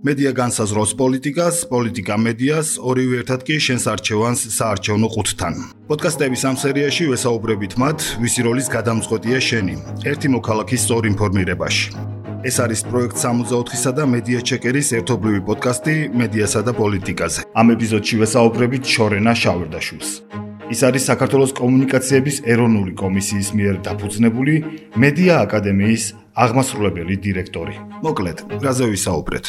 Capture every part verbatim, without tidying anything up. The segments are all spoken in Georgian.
მედია განსაზღვრავს პოლიტიკას, პოლიტიკა მედიას, ორივე ერთად კი შენს არჩევანს საარჩევნო ყუთთან. პოდკასტების ამ სერიაში ვესაუბრებით მათ, ვისი როლის გადამწყვეტია შენი, ერთი მოქალაქის სწორ ინფორმირებაში. ეს არის პროექტ სამოცდაოთხისა და მედია ჩეკერის ერთობლივი პოდკასტი მედიასა და პოლიტიკაზე. ამ ეპიზოდში ვესაუბრებით შორენა შავერდაშვილს. ის არის საქართველოს კომუნიკაციების ეროვნული კომისიის მიერ დაფუძნებული მედია აკადემიის აღმასრულებელი დირექტორი. მოკლედ, რაზე ვისაუბრეთ?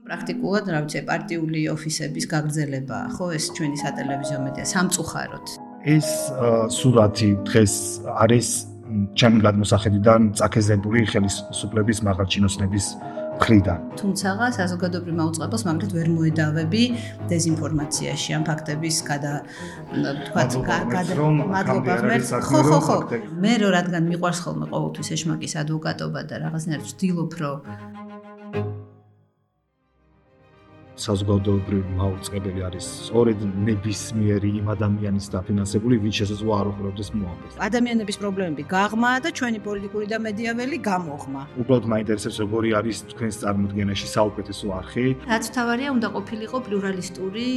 პრაქტიკულად, რა ვიცი, პარტიული ოფისების გაგრძელება, ხო, ეს ჩვენი სატელევიზიო მედია სამწუხაროდ. ეს სურათი დღეს არის ჩემი გადმოსახედიდან წაქეზებული ხელისუფლების მაღალჩინოსნების მხრიდან. თუმცა საზოგადოებრივ მაუწყებელს მაგალითად ვერ მოედავები დეზინფორმაციაში, ამ ფაქტების გადა თქვათ მადლობა ღმერთს. ხო, ხო, ხო. მე რო რადგან მიყვარს ხოლმე ყოველთვის ეშმაკის ადვოკატობა და რაღაცნაირად ვცდილობ, რომ საზოგადოებრივ მაუწყებელი არის სწორედ ნებისმიერი იმ ადამიანის დაფინანსებული, ვინც შესაძლოა არ უყურებდეს მოამბეს. ადამიანების პრობლემები გაღმაა და ჩვენი პოლიტიკური და მედიაველი გამოღმა. უბრალოდ მაინტერესებს როგორი არის თქვენს წარმოდგენაში საუკეთესო არხი. რაც თავარია უნდა ყოფილიყო პლურალისტური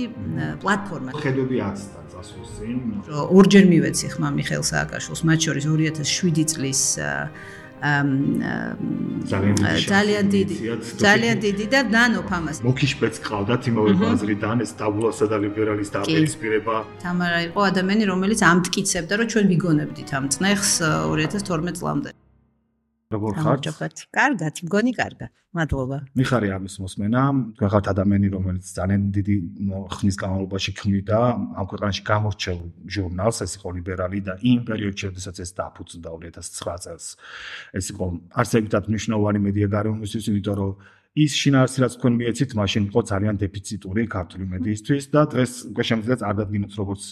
პლატფორმა. ხედები აცდა წასვლის წინ. ორჯერ მივეცი ხმა მიხეილ სააკაშვილს, მათ შორის ორი ათას შვიდი წლის ძალიან დიდი ძალიან დიდი და ნანოფ ამას მოკიშპეც ყავდათ იმავე ბაზრიდან ეს დაბულასა და ლიბერალის დაპირისპირება. თამარა იყო ადამიანი, რომელიც ამტკიცებდა, რომ ჩვენ ვიგონებდით ამ წნეხს ორი ათას თორმეტ წლამდე. როგორ ხართ? კარგად, მგონი კარგად. მადლობა. მიხარი ამის მოსმენა. თქვენ ხართ ადამიანი, რომელიც ძალიან დიდი ხნის განმავლობაში ქმნიდა ამ ქვეყანაში გამორჩეულ ჟურნალს, ეს იყო ლიბერალი და იმ პერიოდში, როდესაც ეს დაფუძნდა ორი ათას ცხრა წელს. ეს იყო არსებითად მნიშვნელოვანი მედია გარემოსთვის, იმიტომ რომ ის შინაარსი, რაც თქვენ მიეცით, მაშინ იყო ძალიან დეფიციტური ქართული მედიისთვის და დღეს უკვე შემიძლია არ დადგინოთ როგორც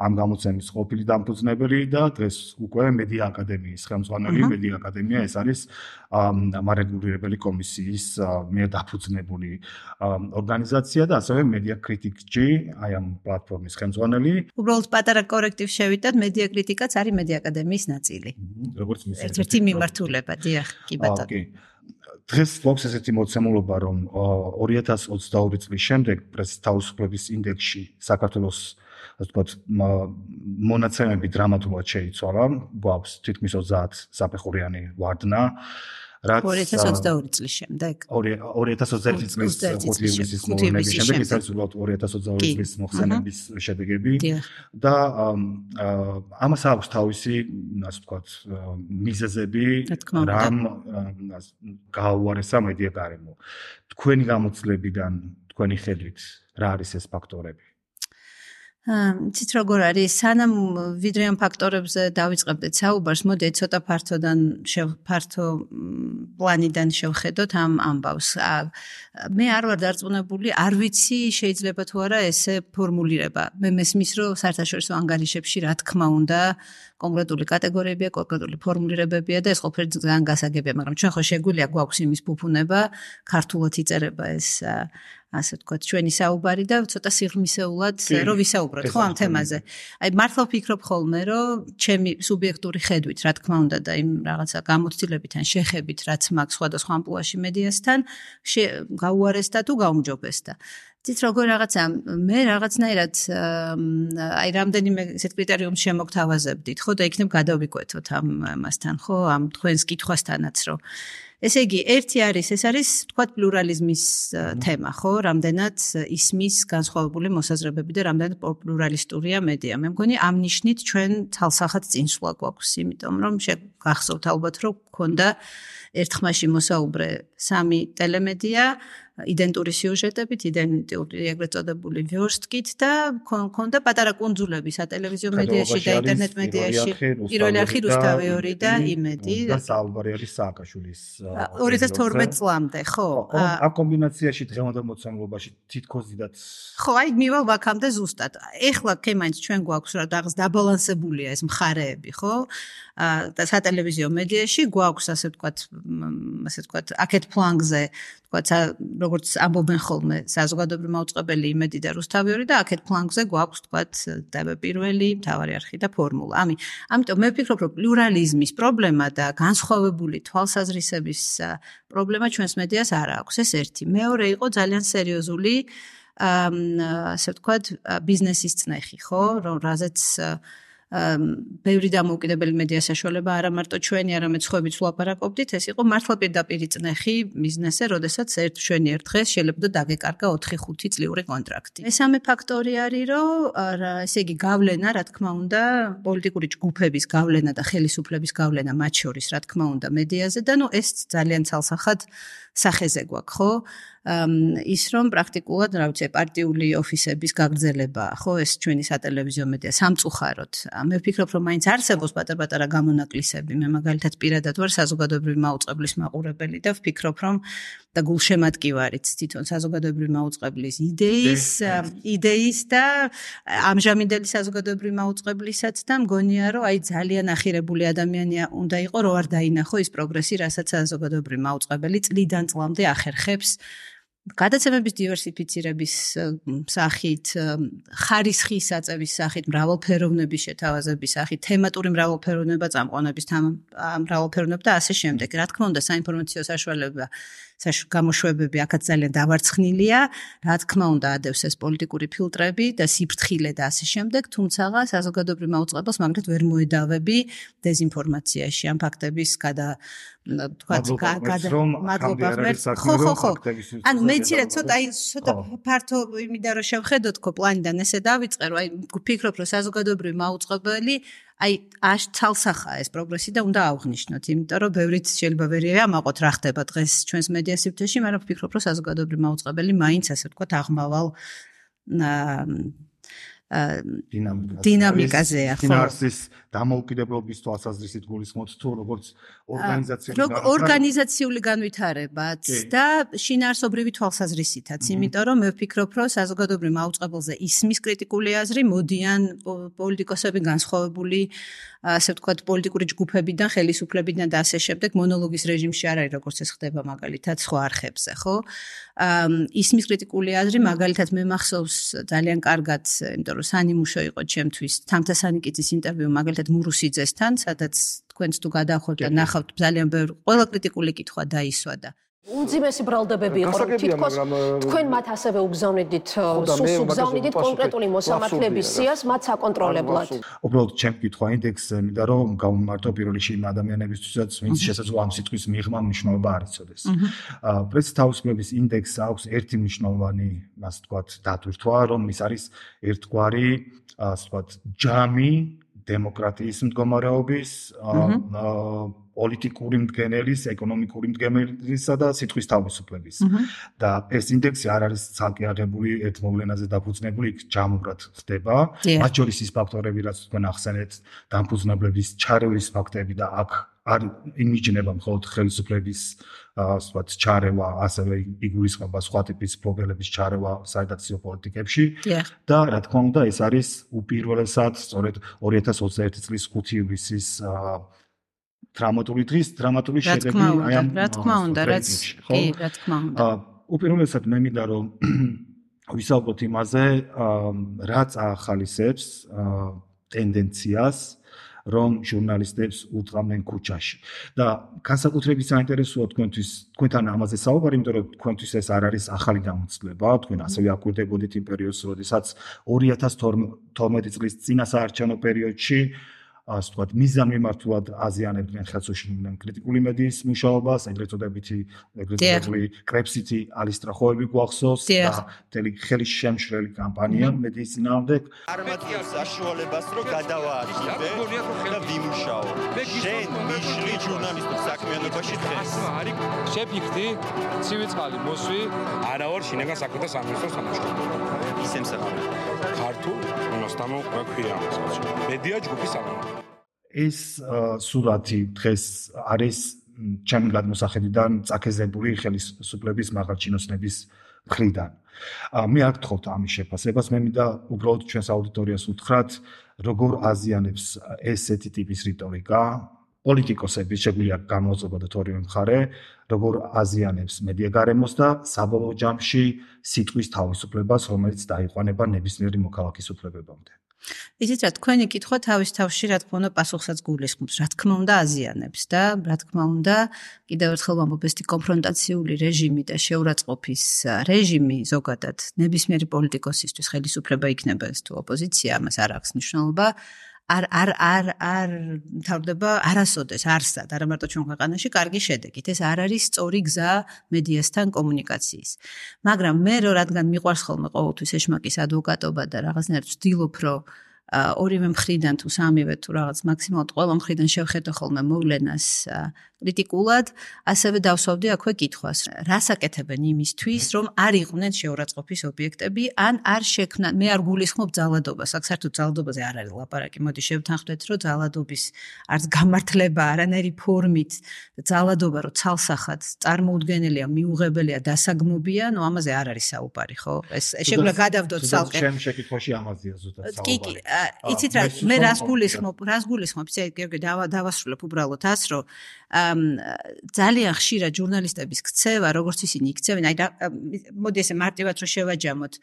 ამ გამოცემის ყოფილი დამფუძნებელი და დღეს უკვე მედია აკადემიის ხელმძღვანელი. მედია აკადემია ეს არის მარეგულირებელი კომისიის მიერ დაფუძნებული ორგანიზაცია და ასევე მედია კრიტიკჯი, აი ამ პლატფორმის ხელმძღვანელი. უბრალოდ პატარა კორექტივი შევიდათ, მედია კრიტიკაც არის მედია აკადემიის ნაწილი. როგორც მის ერთ-ერთი მიმართულება, დიახ, კი ბატონო. ოკეი. დღეს გვაქვს ესეთი მოცემულობა, რომ ორი ათას ოცდაორი წლის შემდეგ პრესის თავისუფლების ინდექსში საქართველოს ასე ვთქვათ მონაცემები დრამატულად შეიცვალა. გვაქვს თითქმის ოცდაათ საფეხურიანი ვარდნა. ორი ათას ოცდაორი წლის შემდეგ. ორი ათას ოცდაერთი წლის ხუთი ივლისის მოვლენების შემდეგ, ეს არის უბრალოდ ორი ათას ოცდაორი წლის მოხსენების შედეგები და ამას აქვს თავისი, ასე ვთქვათ, მიზეზები, რამ გააუარესა მედია გარემო. თქვენი გამოცდილებიდან, თქვენი ხედვით, რა არის ეს ფაქტორები? ცით როგორ არის, სანამ ვიდრე ამ ფაქტორებზე დავიწყებდეთ საუბარს, მოდით ცოტა ფართოდან ფართო პლანიდან შევხედოთ ამ ამბავს. მე არ ვარ დარწმუნებული, არ ვიცი შეიძლება თუ არა ესე ფორმულირება. მე მესმის, რომ საერთაშორისო ანგარიშებში რა თქმა უნდა კონკრეტული კატეგორიებია, კონკრეტული ფორმულირებებია და ეს ყველაფერი ძალიან გასაგებია, მაგრამ ჩვენ ხო შეგვიძლია გვაქვს იმის ფუფუნება, ქართულად იწერება ეს ასე ვთქვათ, ჩვენი საუბარი და ცოტა სიღრმისეულად რომ ვისაუბროთ ხო ამ თემაზე. აი მართლა ვფიქრობ ხოლმე, რომ ჩემი სუბიექტური ხედვით, რა თქმა უნდა და იმ რაღაცა გამოცდილებით ან შეხებით, რაც მაქვს სხვადასხვა ამპლუაში მედიასთან, გაუარესდა თუ გაუმჯობესდა. ცით როგორ რაღაცა მე რაღაცნაირად აი რამდენიმე ესეთ კრიტერიუმს შემოგთავაზებდით, ხო და იქნებ გადავიკვეთოთ ამ ამასთან, ხო, ამ თქვენს კითხვასთანაც, რომ ესე იგი, ერთი არის, ეს არის, თქვათ, პლურალიზმის თემა, ხო? რამდენად ისმის განსხვავებული მოსაზრებები და რამდენად პლურალისტურია მედია. მე მგონი ამ ნიშნით ჩვენ თალსახად წინსვლა გვაქვს, იმიტომ რომ გახსოვთ ალბათ, რომ გქონდა ერთხმაში მოსაუბრე სამი ტელემედია, იდენტური სიუჟეტებით, იდენტური ეგრეთ წოდებული ვიორსტკით და გქონდა პატარა კუნძულები სატელევიზიო მედიაში და ინტერნეტ მედიაში. პირველი არხი რუსთავიორი და იმედი. და საუბარი არის სააკაშვილის ორი ათას თორმეტ წლამდე, ხო? ამ კომბინაციაში დღევანდელ მოცემულობაში თითქოს დიდად ხო, აი მივალ ვაქამდე ზუსტად. ეხლა კემაინც ჩვენ გვაქვს რა რაღაც დაბალანსებულია ეს მხარეები, ხო? და სატელევიზიო მედიაში გვაქვს ასე ვთქვათ, ასე ვთქვათ, აქეთ ფლანგზე, ვთქვათ, როგორც ამბობენ ხოლმე საზოგადოებრივი მაუწყებელი იმედი და რუსთავიორი და აქეთ ფლანგზე გვაქვს, ვთქვათ, დებე პირველი, მთავარი არხი და ფორმულა. ამი, ამიტომ მე ვფიქრობ, რომ პლურალიზმის პრობლემა და განსხვავებული თვალსაზრისების პრობლემა ჩვენს მედიას არ აქვს. ეს ერთი. მეორე იყო ძალიან სერიოზული ასე ვთქვათ, ბიზნესის წნეხი, ხო, რომ რაზეც ბევრი დამოუკიდებელი მედია საშუალება არა მარტო ჩვენი, არამედ სხვაებიც ვლაპარაკობდით, ეს იყო მართლა პირდაპირი წნეხი ბიზნესზე, როდესაც ერთ ჩვენი ერთ დღეს შეიძლება დაგეკარგა ოთხი ხუთი წლიური კონტრაქტი. მესამე ფაქტორი არის, რომ ესე იგი გავლენა, რა თქმა უნდა, პოლიტიკური ჯგუფების გავლენა და ხელისუფლების გავლენა მათ შორის, რა თქმა უნდა, მედიაზე და ნუ ეს ძალიან ცალსახად სახეზე გვაქვს, ხო? ის რომ პრაქტიკულად, რა ვიცი, პარტიული ოფისების გაგრძელება, ხო, ეს ჩვენი სატელევიზიო მედია სამწუხაროდ. მე ვფიქრობ, რომ მაინც არსებობს პატარ-პატარა გამონაკლისები. მე მაგალითად პირადად ვარ საზოგადოებრივი მაუწყებლის მაყურებელი და ვფიქრობ, რომ და გულშემატკივარიც თვითონ საზოგადოებრივი მაუწყებლის იდეის, იდეის და ამჟამინდელი საზოგადოებრივი მაუწყებლისაც და მგონია, რომ აი ძალიან ახირებული ადამიანი უნდა იყო, რომ არ დაინახო ის პროგრესი, რასაც საზოგადოებრივი მაუწყებელი წლიდან წლამდე ახერხებს. გადაცემების დივერსიფიცირების სახით, ხარისხის აწევის სახით, მრავალფეროვნების შეთავაზების სახით, თემატური მრავალფეროვნება წამყვანების მრავალფეროვნება და ასე შემდეგ. რა თქმა უნდა, საინფორმაციო საშუალება გამოშვებები აქაც ძალიან დავარცხნილია, რა თქმა უნდა, ადევს ეს პოლიტიკური ფილტრები და სიფრთხილე და ასე შემდეგ, თუმცა საზოგადოებრივ მაუწყებელს მაგალითად ვერ მოედავები დეზინფორმაციაში, ამ ფაქტების გადა თქვათ მადლობა ღმერთს. ხო, ხო, ხო. ანუ მეცირე ცოტა აი ცოტა ფართო იმიდან რომ შევხედოთ ხო პლანიდან ესე დავიწყე, რომ აი ვფიქრობ, რომ საზოგადოებრივი მაუწყებელი აი აშ ცალსახაა ეს პროგრესი და უნდა აღვნიშნოთ, იმიტომ რომ ბევრიც შეიძლება ვერ ამაყოთ რა ხდება დღეს ჩვენს მედია სივრცეში, მაგრამ ვფიქრობ, რომ საზოგადოებრივი მაუწყებელი მაინც ასე ვთქვათ აღმავალ დინამიკაზეა, ხო. ფინანსის დამოუკიდებლობის თვალსაზრისით გულისხმობთ თუ როგორც ორგანიზაციული ორგანიზაციული განვითარებაც და შინაარსობრივი თვალსაზრისითაც, იმიტომ რომ მე ვფიქრობ, რომ საზოგადოებრივ მაუწყებელზე ისმის კრიტიკული აზრი მოდიან პოლიტიკოსები განსხვავებული ასე ვთქვათ პოლიტიკური ჯგუფებიდან, ხელისუფლებიდან და ასე შემდეგ მონოლოგის რეჟიმში არ არის როგორც ეს ხდება მაგალითად სხვა არხებზე, ხო? ისმის კრიტიკული აზრი მაგალითად მე მახსოვს ძალიან კარგად, იმიტომ რომ სანიმუშო იყო ჩემთვის თამთასანიკიძის ინტერვიუ მაგალითად მურუსიძესთან, სადაც თქვენც თუ გადაახოთ და ნახავთ ძალიან ბევრი ყველა კრიტიკული კითხვა დაისვა და უმძიმესი ბრალდებები იყო, რომ თითქოს თქვენ მათ ასევე უგზავნიდით, სულს უგზავნიდით კონკრეტული მოსამართლეების სიას მათ საკონტროლებლად. უბრალოდ ჩემ კითხვა ინდექსზე, მინდა რომ გავუმართო პირველ რიგში იმ ადამიანებისთვისაც, ვინც შესაძლოა ამ სიტყვის მიღმა მნიშვნელობა არ იცოდეს. პრესის თავისუფლების ინდექსს აქვს ერთი მნიშვნელოვანი, ასე ვთქვათ, დატვირთვა, რომ ის არის ერთგვარი, ასე ვთქვათ, ჯამი დემოკრატიის მდგომარეობის, პოლიტიკური მდგენელის, ეკონომიკური მდგენელისა და სიტყვის თავისუფლების. და ეს ინდექსი არ არის ცალკე აღებული ერთ მოვლენაზე დაფუძნებული, იქ ჯამურად ხდება. მათ შორის ის ფაქტორები, რაც თქვენ ახსენეთ, დამფუძნებლების ჩარევის ფაქტები და აქ არ იმიჯნება მხოლოდ ხელისუფლების ასე ვთქვათ ჩარევა, ასევე იგულისხმება სხვა ტიპის პრობლემების ჩარევა საერთაშორისო პოლიტიკებში. და რა თქმა უნდა, ეს არის უპირველესად სწორედ ორი ათას ოცდაერთი წლის ხუთი ივლისის დრამატული დღის დრამატული შედეგი აი ამ რა თქმა უნდა, რაც კი, რა თქმა უნდა. უპირველესად მე მინდა რომ ვისაუბროთ იმაზე, რაც ახალისებს ტენდენციას რომ ჟურნალისტებს უთხრამენ ქუჩაში. და განსაკუთრებით საინტერესოა თქვენთვის, თქვენთან ამაზე საუბარი, იმიტომ რომ თქვენთვის ეს არ არის ახალი გამოცდილება, თქვენ ასევე აკვირდებოდით იმ პერიოდს, როდესაც ორი ათას თორმეტი წლის წინა საარჩევნო პერიოდში ასე ვთქვათ, მიზანმიმართულად აზიანებდნენ ხელსაშუალებრივი კრიტიკული მედიის მუშაობას, ეგრეთ წოდებითი ეგრეთ წოდებული კრეფსიტი ალისტრახოები გვახსოვს და მთელი ხელისშემშლელი კამპანია მედიის წინააღმდეგ. არ მათიებს საშუალებას, რომ გადავაადგინდე და ვიმუშაო. შენ მიშლი ჟურნალისტურ საქმიანობაში დღეს. შეფიქდი, ცივი წყალი მოსვი, არა ვარ შინაგან საქმეთა სამინისტროს სამუშაო. ის ემსახურება. ქართულ უნოსტამო ქვია ამას. მედია ჯგუფის სამუშაო. ეს სურათი დღეს არის ჩემი გადმოსახედიდან წაქეზებული ხელისუფლების მაღალჩინოსნების მხრიდან. მე არ გთხოვთ ამის შეფასებას, მე მინდა უბრალოდ ჩვენს აუდიტორიას უთხრათ, როგორ აზიანებს ესეთი ტიპის რიტორიკა პოლიტიკოსების, შეგვიძლია გამოუწოდოთ ორივე მხარე, როგორ აზიანებს მედია გარემოს და საბოლოო ჯამში სიტყვის თავისუფლებას, რომელიც დაიყვანება ნებისმიერი მოქალაქის უფლებებამდე. იცით რა, თქვენი კითხვა თავის თავში რა თქმა უნდა პასუხსაც გულისხმობს, რა თქმა უნდა აზიანებს და რა თქმა უნდა კიდევ ერთხელ ვამბობ, ეს კონფრონტაციული რეჟიმი და შეურაცხყოფის რეჟიმი ზოგადად ნებისმიერი პოლიტიკოსისთვის ხელისუფლება იქნება ეს თუ ოპოზიცია, ამას არ აქვს მნიშვნელობა. არ არ არ არ მთავრდება არასოდეს არსად, არა მარტო ჩვენ ქვეყანაში კარგი შედეგით. ეს არ არის სწორი გზა მედიასთან კომუნიკაციის. მაგრამ მე რო რადგან მიყვარს ხოლმე ყოველთვის ეშმაკის ადვოკატობა და რაღაცნაირად ვცდილობ, რომ ორივე მხრიდან თუ სამივე თუ რაღაც მაქსიმალურად ყველა მხრიდან შევხედო ხოლმე მოვლენას კრიტიკულად, ასევე დავსვავდი აქვე კითხვას, რას აკეთებენ იმისთვის, რომ არ იყვნენ შეურაცხყოფის ობიექტები, ან არ შექმნან, მე არ გულისხმობ ძალადობას, აქ საერთოდ ძალადობაზე არ არის ლაპარაკი, მოდი შევთანხმდეთ, რომ ძალადობის არც გამართლება არანაირი ფორმით, ძალადობა რო ცალსახად წარმოუდგენელია, მიუღებელია, დასაგმობია, ნუ ამაზე არ არის საუბარი, ხო? ეს შეგვიძლია გადავდოთ ცალკე. ჩემ შეკითხვაში ამაზეა ზუსტად საუბარი. კი, კი, იცით რა, მე რას გულისხმობ, რას გულისხმობ, იცი, გიორგი, დავასრულებ უბრალოდ ას, რომ ძალიან ხშირად ჟურნალისტების ქცევა, როგორც ისინი იქცევენ, აი მოდი ესე მარტივად რომ შევაჯამოთ,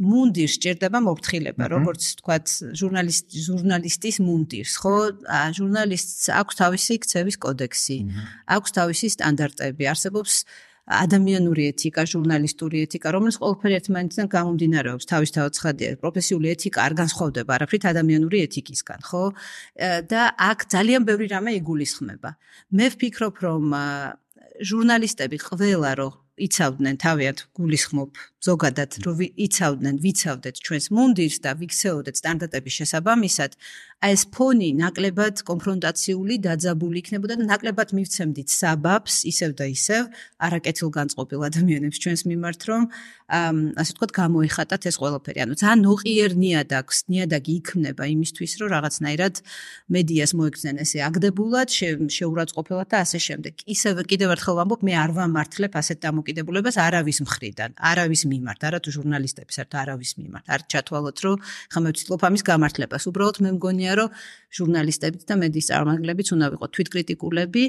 მუნდირს სჭირდება მოფრთხილება, როგორც თქვათ, ჟურნალისტ ჟურნალისტის მუნდირს, ხო? ჟურნალისტს აქვს თავისი ქცევის კოდექსი, აქვს თავისი სტანდარტები, არსებობს ადამიანური ეთიკა, ჟურნალისტური ეთიკა, რომელიც ყველაფერი ერთმანეთიდან გამომდინარეობს, თავისთავად ცხადია, პროფესიული ეთიკა არ განსხვავდება არაფრით ადამიანური ეთიკისგან, ხო? და აქ ძალიან ბევრი რამე იგულისხმება. მე ვფიქრობ, რომ ჟურნალისტები ყველა რო იცავდნენ თავიანთ გულისხმობ ზოგადად რომ იცავდნენ, ვიცავდეთ ჩვენს მუნდირს და ვიქცეოდეთ სტანდარტების შესაბამისად, აი ეს ფონი ნაკლებად კონფრონტაციული დაძაბული იქნებოდა და ნაკლებად მივცემდით საბაბს, ისევ და ისევ არაკეთილგანწყობილ ადამიანებს ჩვენს მიმართ, რომ ასე ვთქვათ, გამოიხატათ ეს ყველაფერი. ანუ ძალიან ნოყიერ ნიადაგს, ნიადაგი იქმნება იმისთვის, რომ რაღაცნაირად მედიას მოექცნენ ესე აგდებულად, შეურაცხყოფილად და ასე შემდეგ. ისევ კიდევ ერთხელ ვამბობ, მე არ ვამართლებ ასეთ დამოკიდებულებას არავის მხრიდან, არავის მიმართ, არა თუ ჟურნალისტების, არა არავის მიმართ. არ ჩათვალოთ, რომ ხა მე ვცდილობ ამის გამართლებას. უბრალოდ მე მგონია, რომ ჟურნალისტებიც და მედიის წარმომადგენლებიც უნდა ვიყოთ თვითკრიტიკულები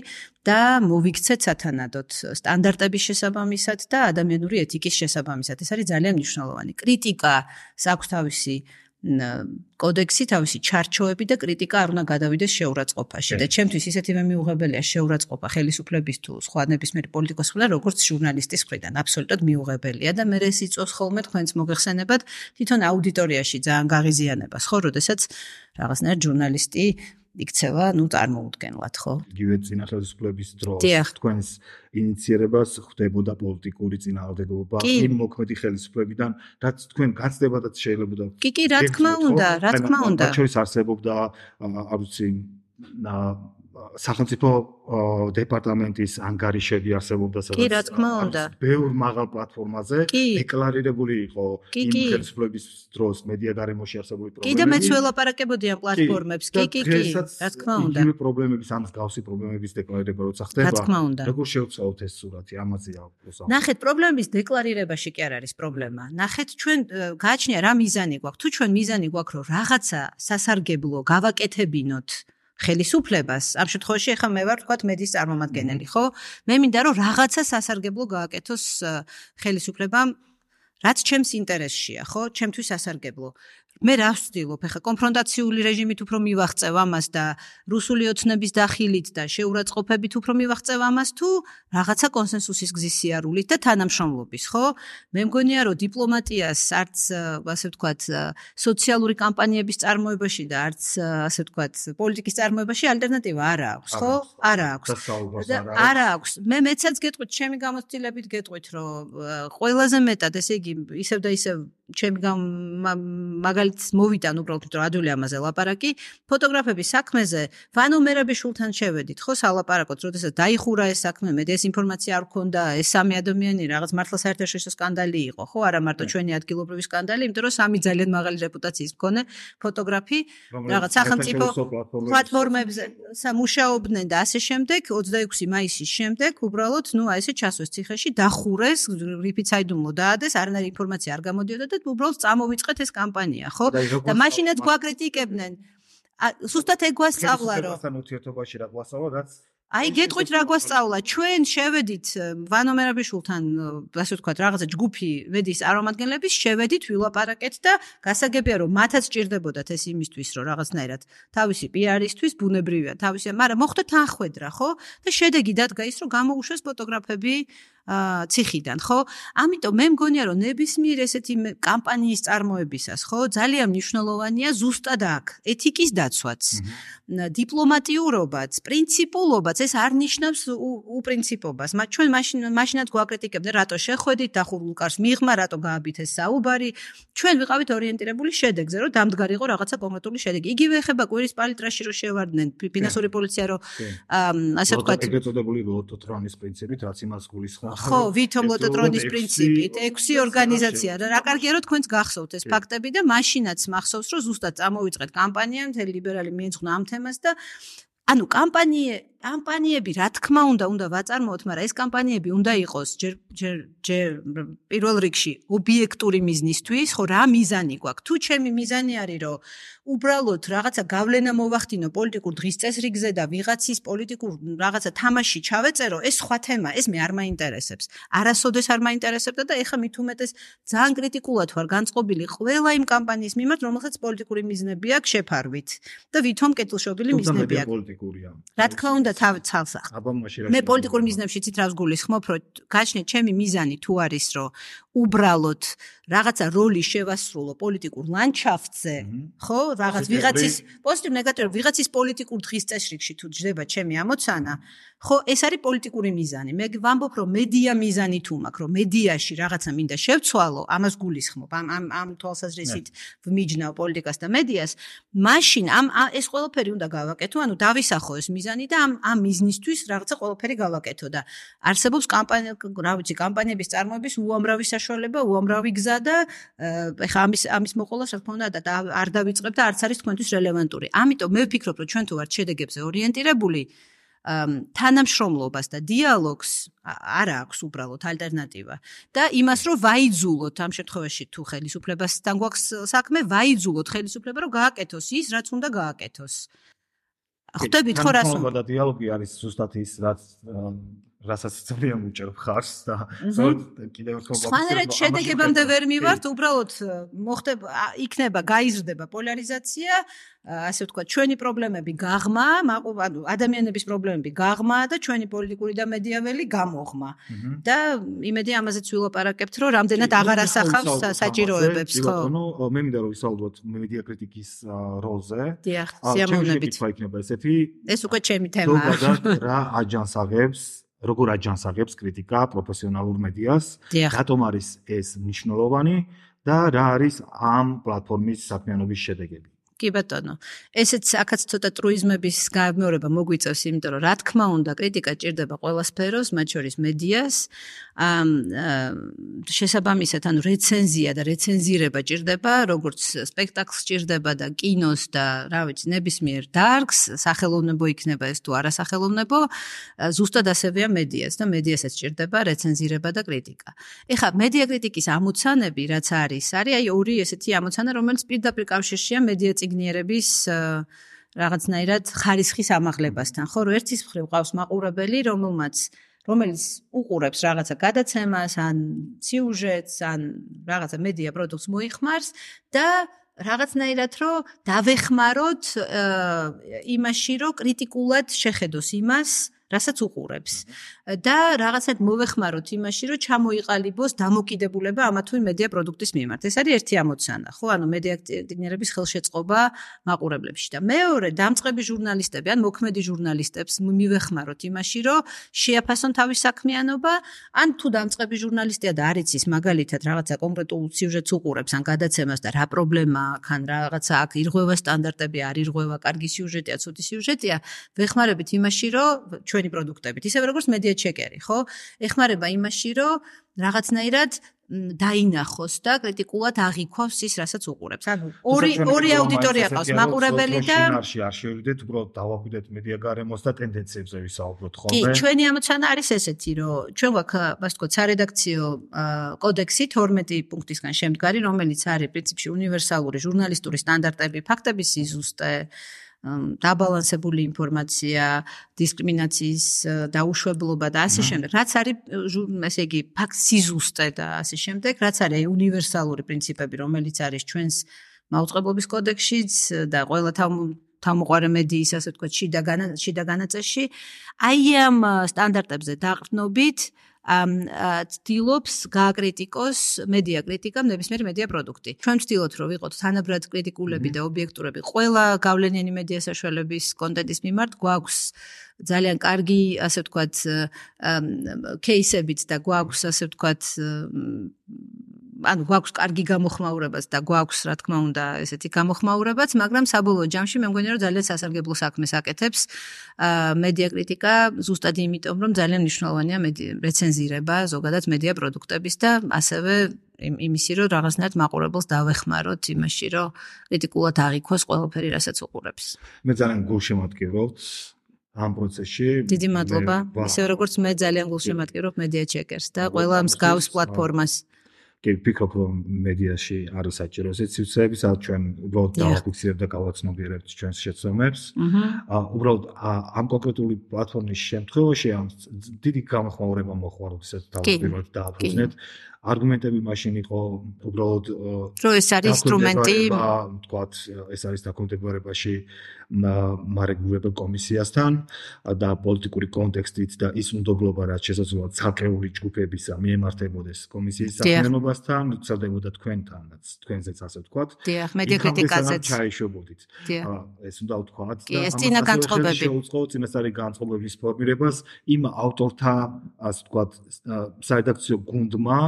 და მოვიქცეთ სათანადოდ სტანდარტების შესაბამისად და ადამიანური ეთიკის შესაბამისად. ეს არის ძალიან მნიშვნელოვანი. კრიტიკა აქვს თავისი კოდექსი, თავისი ჩარჩოები და კრიტიკა არ უნდა გადავიდეს შეურაცხყოფაში. და ჩემთვის ისეთივე მიუღებელია შეურაცხყოფა ხელისუფლების თუ სხვა ნებისმიერი პოლიტიკოსის მხრიდან, როგორც ჟურნალისტის მხრიდან. აბსოლუტურად მიუღებელია და მე ეს იწვევს ხოლმე თქვენს მოგეხსენებათ თვითონ აუდიტორიაში ძალიან გაღიზიანებას, ხო, როდესაც რაღაცნაირად ჟურნალისტი იქცევა, ну, წარმოუდგენლად, ხო? იგივე წინა ხელისუფლების დროს თქვენს ინიციერებას ხდებოდა პოლიტიკური წინააღმდეგობა იმ მოქმედი ხელისუფლებიდან, რაც თქვენ გაცდებადაც შეიძლებოდა. კი, კი, რა თქმა უნდა, რა თქმა უნდა. მათ შორის არსებობდა, არ ვიცი, სახელმწიფო დეპარტამენტის ანგარიშები არსებობდა, სადაც ბევრ მაღალ პლატფორმაზე დეკლარირებული იყო იმ ხელისუფლების დროს მედია გარემოში არსებული პრობლემები. კი და მეც ველაპარაკებოდი ამ პლატფორმებს. კი, კი, კი, რა თქმა უნდა. იგივე პრობლემების, ამ მსგავსი პრობლემების დეკლარირება როცა ხდება, როგორ შევცვალოთ ეს სურათი, ამაზეა უბრალოდ. ნახეთ, პრობლემის დეკლარირებაში კი არ არის პრობლემა. ნახეთ, ჩვენ გააჩნია რა მიზანი გვაქვს. თუ ჩვენ მიზანი გვაქვს, რომ რაღაცა სასარგებლო გავაკეთებინოთ ხელისუფლებას, ამ შემთხვევაში ახლა მე ვარ თქვათ მედიის წარმომადგენელი, ხო? მე მინდა რომ რაღაცა სასარგებლო გააკეთოს ხელისუფლებამ, რაც ჩემს ინტერესშია, ხო? ჩემთვის სასარგებლო. მე რა ვცდილობ, ახლა კონფრონტაციული რეჟიმით უფრო მივაღწევ ამას და რუსული ოცნების დახილით და შეურაცხყოფებით უფრო მივაღწევ ამას თუ რაღაცა კონსენსუსის გზის სიარულით და თანამშრომლობის, ხო? მე მგონია რომ დიპლომატიას არც ასე ვთქვათ სოციალური კამპანიების წარმოებაში და არც ასე ვთქვათ პოლიტიკის წარმოებაში ალტერნატივა არ აქვს, ხო? არ აქვს. არ აქვს. მე მეცაც გეტყვით, ჩემი გამოცდილებით გეტყვით, რომ ყველაზე მეტად ესე იგი ისევ და ისევ ჩემი მაგალითს მოვიტან უბრალოდ რომ ადვილი ამაზე ლაპარაკი ფოტოგრაფების საქმეზე ვანო მერაბიშვილთან შევედით ხო სალაპარაკოთ როდესაც დაიხურა ეს საქმე მე ეს ინფორმაცია არ ქონდა ეს სამი ადამიანი რაღაც მართლა საერთაშორისო სკანდალი იყო ხო არა მარტო ჩვენი ადგილობრივი სკანდალი იმიტომ რომ სამი ძალიან მაღალი რეპუტაციის მქონე ფოტოგრაფი რაღაც სახელმწიფო პლატფორმებზე მუშაობდნენ და ასე შემდეგ ოცდაექვსი მაისის შემდეგ უბრალოდ ნუ აი ესე ჩასვეს ციხეში დახურეს რიფიცაიდუმლო დაადეს არანაირი ინფორმაცია არ გამოდიოდა და უბრალოდ წამოვიწყეთ ეს კამპანია ხო და მაშინაც გვაკრიტიკებდნენ ზუსტად ეგ გვასწავლა რომ ასთან ურთიერთობაში რა გვასწავლა რაც აი გეტყვით რა გვასწავლა ჩვენ შევედით ვანო მერაბიშვილთან ასე ვთქვათ რაღაცა ჯგუფი ვედის წარმომადგენლების შევედით ვილაპარაკეთ და გასაგებია რომ მათაც ჭირდებოდათ ეს იმისთვის რომ რაღაცნაირად თავისი პიარისთვის ბუნებრივია თავისი მაგრამ მოხდა თანხwebdriver ხო და შედეგი დადგა ის რომ გამოუშვეს ფოტოგრაფები ციხიდან ხო ამიტომ მე მგონია რომ ნებისმიერ ესეთი კამპანიის წარმოებისას ხო ძალიან მნიშვნელოვანია ზუსტად აქ ეთიკის დაცვაც დიპლომატიურობაც პრინციპულობაც ეს არ ნიშნავს უპრინციპობას მათ ჩვენ მაშინ მაშინაც გვაკრიტიკებდნენ რატო შეხვედით დახურულ კარს მიღმა რატო გააბით ეს საუბარი ჩვენ ვიყავით ორიენტირებული შედეგზე რომ დამდგარიყო რაღაცა კონკრეტული შედეგი იგივე ეხება კვირის პალიტრაში რომ შევარდნენ ფინანსური პოლიცია რომ ასე ვთქვათ ეგრეთ წოდებული ლოტოტრონის პრინციპით რაც იმას გულისხმობს ხო, ვითომ ლოტოტრონის პრინციპით, ექვსი ორგანიზაცია და რა კარგია რომ თქვენს გახსოვთ ეს ფაქტები და მაშინაც მახსოვს რომ ზუსტად წამოვიწყეთ კამპანია მთელი ლიბერალი მიეძღვნა ამ თემას და ანუ კამპანია კამპანიები რა თქმა უნდა უნდა ვაწარმოოთ, მაგრამ ეს კამპანიები უნდა იყოს ჯერ ჯერ ჯერ პირველ რიგში ობიექტური მიზნისთვის, ხო რა მიზანი გვაქვს? თუ ჩემი მიზანი არის რომ უბრალოდ რაღაცა გავლენა მოვახდინო პოლიტიკურ დღის წესრიგზე და ვიღაცის პოლიტიკურ რაღაცა თამაში ჩავეწერო, ეს სხვა თემა, ეს მე არ მაინტერესებს. არასოდეს არ მაინტერესებდა და ეხლა მით უმეტეს ძალიან კრიტიკულად ვარ განწყობილი ყველა იმ კამპანიის მიმართ, რომელსაც პოლიტიკური მიზნები აქვს შეფარვით და ვითომ კეთილშობილი მიზნები აქვს. პოლიტიკურია. რა თქმა უნდა თავი ცალსახ. მე პოლიტიკურ მიზნებში ცით რას გულისხმობ, რომ გაჩნიეთ ჩემი მიზანი თუ არის, რომ უბრალოდ რაღაცა როლი შევასრულო პოლიტიკურ ლანდშაფტზე, ხო, რაღაც ვიღაცის პოზიტივ ნეგატივ ვიღაცის პოლიტიკურ დღის წესრიგში თუ ჯდება ჩემი ამოცანა, ხო, ეს არის პოლიტიკური მიზანი. მე ვამბობ, რომ მედია მიზანი თუ მაქვს, რომ მედიაში რაღაცა მინდა შევცვალო, ამას გულისხმობ. ამ ამ ამ თვალსაზრისით ვმიჯნავ პოლიტიკას და მედიას, მაშინ ამ ეს ყველაფერი უნდა გავაკეთო, ანუ დავისახო ეს მიზანი და ამ ამ მიზნისთვის რაღაცა ყველაფერი გავაკეთო და არსებობს კამპანია, რა ვიცი, კამპანიების წარმოების უამრავი საშუალება, უამრავი გზა და ეხა ამის ამის მოყოლას რა თქმა უნდა და არ დავიწყებ და არც არის თქვენთვის რელევანტური. ამიტომ მე ვფიქრობ, რომ ჩვენ თუ ვართ შედეგებზე ორიენტირებული, თანამშრომლობას და დიალოგს არ აქვს უბრალოდ ალტერნატივა და იმას რომ ვაიძულოთ ამ შემთხვევაში თუ ხელისუფლებასთან გვაქვს საქმე, ვაიძულოთ ხელისუფლება რომ გააკეთოს ის, რაც უნდა გააკეთოს. ხვდებით ხო რას უნდა? და დიალოგი არის ზუსტად ის, რაც რასაც ძალიან უჭერს ხარს და ზოგადად კიდევ ერთხელ სხვანაირად შედეგებამდე ვერ მივართ, უბრალოდ მოხდება იქნება გაიზრდება პოლარიზაცია, ასე ვთქვათ, ჩვენი პრობლემები გაღმა, ანუ ადამიანების პრობლემები გაღმა და ჩვენი პოლიტიკური და მედიაველი გამოღმა. და იმედი ამაზეც ვილაპარაკებთ, რომ რამდენად აღარ ასახავს საჭიროებებს, ხო? ანუ მე მინდა რომ ვისაუბროთ მედია კრიტიკის როლზე. დიახ, სიამოვნებით. ჩემი იქნება ესეთი. ეს უკვე ჩემი თემაა. ზოგადად რა აჯანსაღებს როგორ აჯანსაღებს კრიტიკა პროფესიონალურ მედიას, რატომ არის ეს მნიშვნელოვანი და რა არის ამ პლატფორმის საქმიანობის შედეგები. კი ბატონო, ესეც აქაც ცოტა ტრუიზმების გამეორება მოგვიწევს, იმიტომ რომ რა თქმა უნდა, კრიტიკა ჭირდება ყველა სფეროს, მათ შორის მედიას. შესაბამისად, ანუ რეცენზია და რეცენზირება ჭირდება, როგორც სპექტაკლს ჭირდება და კინოს და რა ვიცი, ნებისმიერ დარგს, სახელოვნებო იქნება ეს თუ არასახელოვნებო, ზუსტად ასევეა მედიას და მედიასაც ჭირდება რეცენზირება და კრიტიკა. ეხლა მედია კრიტიკის ამოცანები, რაც არის, არის აი ორი ესეთი ამოცანა, რომელიც პირდაპირ კავშირშია მედია ციგნიერების რაღაცნაირად ხარისხის ამაღლებასთან, ხო, რომ ერთის მხრივ ყავს მაყურებელი, რომელმაც რომელიც უყურებს რაღაცა გადაცემას, ან სიუჟეტს, ან რაღაცა მედია პროდუქტს მოიხმარს და რაღაცნაირად რომ დავეხმაროთ იმაში, რომ კრიტიკულად შეხედოს იმას, რასაც უყურებს. და რაღაცად მოვეხმაროთ იმაში, რომ ჩამოიყალიბოს დამოკიდებულება ამა თუ იმ მედია პროდუქტის მიმართ. ეს არის ერთი ამოცანა, ხო? ანუ მედია აქტივიერების ხელშეწყობა მაყურებლებში და მეორე, დამწყები ჟურნალისტები ან მოქმედი ჟურნალისტებს მივეხმაროთ იმაში, რომ შეაფასონ თავის საქმიანობა, ან თუ დამწყები ჟურნალისტია და არ იცის მაგალითად რაღაცა კონკრეტულ სიუჟეტს უყურებს ან გადაცემას და რა პრობლემა აქვს, ან რაღაცა აქ ირღვევა სტანდარტები, არ ირღვევა, კარგი სიუჟეტია, ცუდი სიუჟეტია, ვეხმარებით იმაში, რომ ჩვენი პროდუქტებით, ისევე როგორც მედია ჩეკერი, ხო? ეხმარება იმაში, რომ რაღაცნაირად დაინახოს და კრიტიკულად აღიქვას ის, რასაც უყურებს. ანუ ორი ორი აუდიტორია ყავს, მაყურებელი და შინარში არ შევიდეთ, უბრალოდ დავაკვირდეთ მედია გარემოს და ტენდენციებზე ვისაუბროთ ხოლმე. კი, ჩვენი ამოცანა არის ესეთი, რომ ჩვენ გვაქვს, ასე ვთქვათ, სარედაქციო კოდექსი თორმეტი პუნქტისგან შემდგარი, რომელიც არის პრინციპში უნივერსალური ჟურნალისტური სტანდარტები, ფაქტების სიზუსტე, დაბალანსებული ინფორმაცია, დისკრიმინაციის დაუშვებლობა და ასე შემდეგ. რაც არის ესე იგი ფაქტ სიზუსტე და ასე შემდეგ, რაც არის უნივერსალური პრინციპები, რომელიც არის ჩვენს მაუწყებლობის კოდექსშიც და ყველა თავმოყარე მედიის, ასე ვთქვათ, შიდა განაწესში, აი ამ სტანდარტებზე დაყრდნობით ცდილობს გააკრიტიკოს მედია კრიტიკა, ნებისმიერი მედია პროდუქტი. ჩვენ ვცდილობთ, რომ ვიყოთ თანაბრად კრიტიკულები და ობიექტურები ყველა გავლენიანი მედია საშუალების კონტენტის მიმართ. გვაქვს ძალიან კარგი, ასე ვთქვათ, кейსებიც და გვაქვს, ასე ვთქვათ, ანუ გვაქვს კარგი გამოხმაურებაც და გვაქვს, რა თქმა უნდა, ესეთი გამოხმაურებაც, მაგრამ საბოლოო ჯამში მე მგონია, რომ ძალიან სასარგებლო საქმეს აკეთებს მედია კრიტიკა, ზუსტად იმიტომ, რომ ძალიან მნიშვნელოვანია რეცენზირება ზოგადად მედია პროდუქტების და ასევე იმისი, რომ რაღაცნაირად მაყურებელს დავეხმაროთ იმაში, რომ კრიტიკულად აღიქვას ყველაფერი, რასაც უყურებს. მე ძალიან გულშემატკივრობთ ამ პროცესში. დიდი მადლობა. ისე როგორც მე ძალიან გულშემატკივრობ მედია ჩეკერს და ყველა მსგავს პლატფორმას. კი, ვფიქრობ, რომ მედიაში არის საჭირო ესეთი სივრცეები, სადაც ჩვენ უბრალოდ დავაფიქსირებთ და გავაცნობიერებთ ჩვენს შეცდომებს. უბრალოდ ამ კონკრეტული პლატფორმის შემთხვევაში ამ დიდი გამოხმაურება მოხდა, როდესაც თავისუფლად დააფუძნეთ. არგუმენტები მაშინ იყო უბრალოდ რომ ეს არის ინსტრუმენტი, თქვათ, ეს არის დაქვემდებარებაში მარეგულირებელ კომისიასთან და პოლიტიკური კონტექსტით და ის უნდობლობა, რაც შესაძლოა ცალკეული ჯგუფებისა მიემართებოდეს კომისიის საქმიანობასთან, ვრცელდებოდა თქვენთანაც, თქვენზეც ასე ვთქვათ. დიახ, მედია კრიტიკაზეც ჩაიშვებოდით. ეს უნდა ვთქვათ და ეს წინა განწყობები შეუწყო წინასწარი განწყობების ფორმირებას იმ ავტორთა, ასე ვთქვათ, სარედაქციო გუნდმა,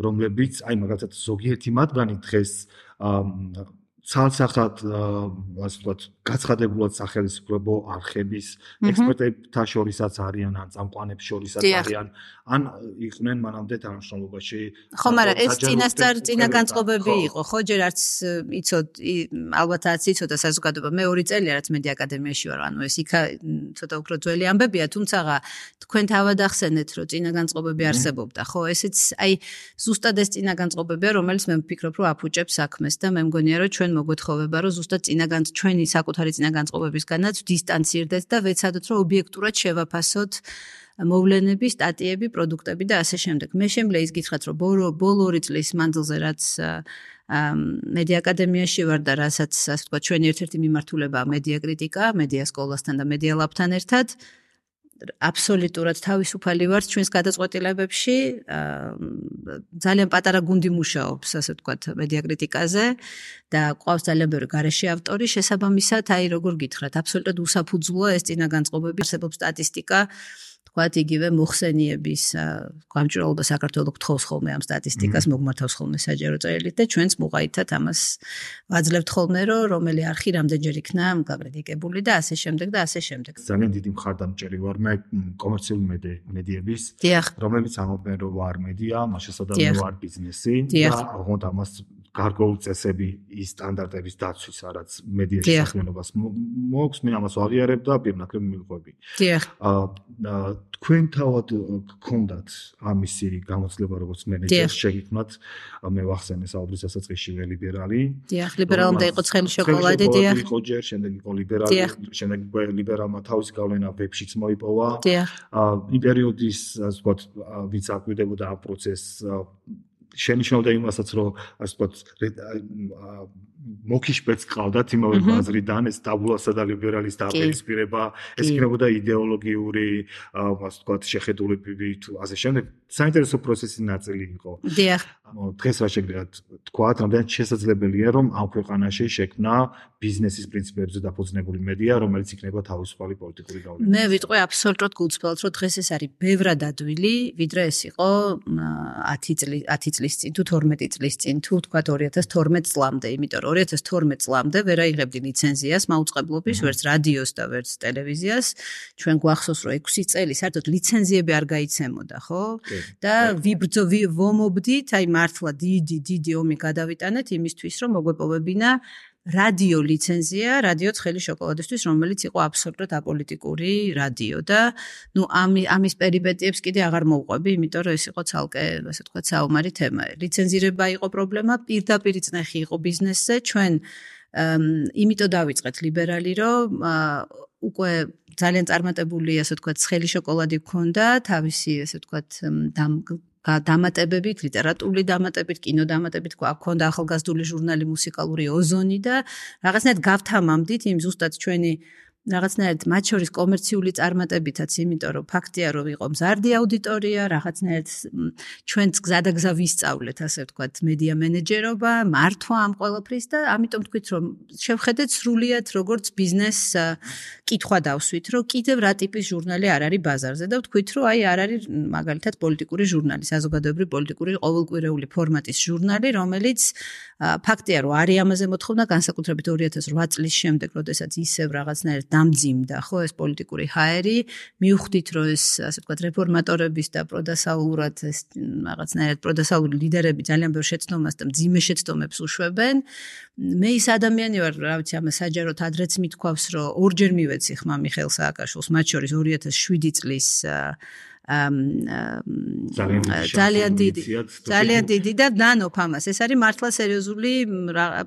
რომლებიც აი მაგალითად ზოგიერთი მათგანი დღეს ცალსახად, ასე ვთქვათ, გაცხადებულად სახელმწიფო არხების ექსპერტებთან შორისაც არიან, ან წამყვანებს შორისაც არიან, ან იყვნენ მანამდე თანამშრომლობაში. ხო, მაგრამ ეს წინასწარ წინა განწყობები იყო, ხო, ჯერ არც იცოდ, ალბათ არც იცოდა საზოგადოება. მე ორი წელია რაც მედია აკადემიაში ვარ, ანუ ეს იქა ცოტა უფრო ძველი ამბებია, თუმცა თქვენ თავად ახსენეთ, რომ წინა განწყობები არსებობდა, ხო, ესეც აი ზუსტად ეს წინა განწყობებია, რომელიც მე ვფიქრობ, რომ აფუჭებს საქმეს და მე მგონია, რომ ჩვენ მოგვეთხოვება, რომ ზუსტად წინა ჩვენი საკუთარი წინა განწყობებისგანაც დისტანცირდეთ და ვეცადოთ, რომ ობიექტურად შევაფასოთ მოვლენები, სტატიები, პროდუქტები და ასე შემდეგ. მე შემიძლია ის გითხრათ, რომ ბოლო ორი წლის მანძილზე რაც მედია აკადემიაში ვარ და რასაც, ასე ვთქვათ, ჩვენი ერთ-ერთი მიმართულებაა მედია კრიტიკა, მედია სკოლასთან და მედია ლაბთან ერთად. აბსოლუტურად თავისუფალი ვარ ჩვენს გადაწყვეტილებებში. ძალიან პატარა გუნდი მუშაობს, ასე ვთქვათ, მედია კრიტიკაზე და ყავს ძალიან ბევრი გარეშე ავტორი. შესაბამისად, აი როგორ გითხრათ, აბსოლუტურად უსაფუძვლოა ეს წინა განწყობები, არსებობს სტატისტიკა, თქვათ, იგივე მოხსენიების გამჭვირვალობა საქართველოს გთხოვს ხოლმე ამ სტატისტიკას, მოგმართავს ხოლმე საჯარო წერილით და ჩვენც მოყაითად ამას ვაძლევთ ხოლმე, რომ რომელი არხი რამდენჯერ იქნა გაკრიტიკებული და ასე შემდეგ და ასე შემდეგ. ძალიან დიდი მხარდამჭერი ვარ მე კომერციული მედიების, რომლებიც ამბობენ, რომ ვარ მედია, მასშტაბად ვარ ბიზნესი და ოღონდ ამას გარკვეული წესები ის სტანდარტების დაცვის, რაც მედიაში საქმიანობას მოაქვს, მე ამას ვაღიარებ და პირნაკლებ მივყვები. დიახ. თქვენ თავად გქონდათ ამისი გამოცდილება, როგორც მენეჯერს შეგიქმნათ, მე ვახსენე საუბრის დასაწყისში ლიბერალი. დიახ, ლიბერალამდე იყო ცხელი შოკოლადი, დიახ. იყო ჯერ, შემდეგ იყო ლიბერალი, შემდეგ ლიბერალმა თავისი გავლენა ვებშიც მოიპოვა. დიახ. იმ პერიოდის, ასე ვთქვათ, ვინც აკვირდებოდა ამ პროცესს შენიშნავდა იმასაც, რომ ასე ვთქვათ, მოკიშპეც ყავდათ იმავე ბაზრიდან, ეს დაბულასა და ლიბერალის დაპირისპირება, ეს იქნებოდა იდეოლოგიური, ასე ვთქვათ, შეხედულებები თუ ასე შემდეგ. საინტერესო პროცესის ნაწილი იყო. დიახ. დღეს რა შეგიძლიათ თქვათ, რამდენად შესაძლებელია, რომ ამ ქვეყანაში შექმნა ბიზნესის პრინციპებზე დაფუძნებული მედია, რომელიც იქნება თავისუფალი პოლიტიკური გავლენა. მე ვიტყვი აბსოლუტურად გულწრფელად, რომ დღეს ეს არის ბევრად ადვილი, ვიდრე ეს იყო ათი წლის ათი წლის წინ თუ თორმეტი წლის წინ, თუ თქვათ ორი ათას თორმეტ წლამდე, იმიტომ რომ ორი ათას თორმეტ წლამდე ვერ აიღებდი ლიცენზიას მაუწყებლობის, ვერც რადიოს და ვერც ტელევიზიას. ჩვენ გვახსოვს, რომ ექვსი წელი საერთოდ ლიცენზიები არ გაიცემოდა, ხო? და ვიბრძო ვომობდით, აი მართლა დიდი დიდი ომი გადავიტანეთ იმისთვის, რომ მოგვეპოვებინა რადიო ლიცენზია, რადიო ცხელი შოკოლადისთვის, რომელიც იყო აბსოლუტურად აპოლიტიკური რადიო და ნუ ამის პერიპეტიებს კიდე აღარ მოვყვები, იმიტომ რომ ეს იყო ცალკე, ასე ვთქვათ, საომარი თემა. ლიცენზირება იყო პრობლემა, პირდაპირ წნეხი იყო ბიზნესზე, ჩვენ იმიტომ დავიწყეთ ლიბერალი, რომ უკვე ძალიან წარმატებული, ასე ვთქვათ, ცხელი შოკოლადი გქონდა, თავისი, ასე ვთქვათ, დამატებებით, ლიტერატურული დამატებით, კინო დამატებით, გვქონდა ახალგაზრდული ჟურნალი მუსიკალური ოზონი და რაღაცნაირად გავთამამდით იმ ზუსტად ჩვენი რაღაცნაირად მათ შორის კომერციული წარმატებითაც, იმიტომ რომ ფაქტია, რომ იყო მზარდი აუდიტორია, რაღაცნაირად ჩვენც გზადაგზა ვისწავლეთ, ასე ვთქვათ, მედია მენეჯერობა, მართვა ამ ყველაფრის და ამიტომ თქვით, რომ შევხედეთ სრულიად როგორც ბიზნეს კითხვა დავსვით, რომ კიდევ რა ტიპის ჟურნალი არ არის ბაზარზე და ვთქვით, რომ აი არ არის მაგალითად პოლიტიკური ჟურნალი, საზოგადოებრივი პოლიტიკური ყოველკვირეული ფორმატის ჟურნალი, რომელიც ფაქტია, რომ არის ამაზე მოთხოვნა, განსაკუთრებით ორი ათას რვა წლის შემდეგ, როდესაც ისევ რაღაცნაირად დამძიმდა, ხო, ეს პოლიტიკური ჰაერი, მივხვდით, რომ ეს, ასე ვთქვათ, რეფორმატორების და პროდასალურად ეს რაღაცნაირად პროდასალური ლიდერები ძალიან ბევრ შეცდომას და მძიმე შეცდომებს უშვებენ. მე ის ადამიანი ვარ, რა ვიცი, ამას საჯაროდ ადრეც მithქვავს, რომ ორჯერ მივეცი ხმა მიხეილ სააკაშვილს, მათ შორის ორი ათას შვიდი წლის ძალიან დიდი ძალიან დიდი და ნანოფ ამას. ეს არის მართლა სერიოზული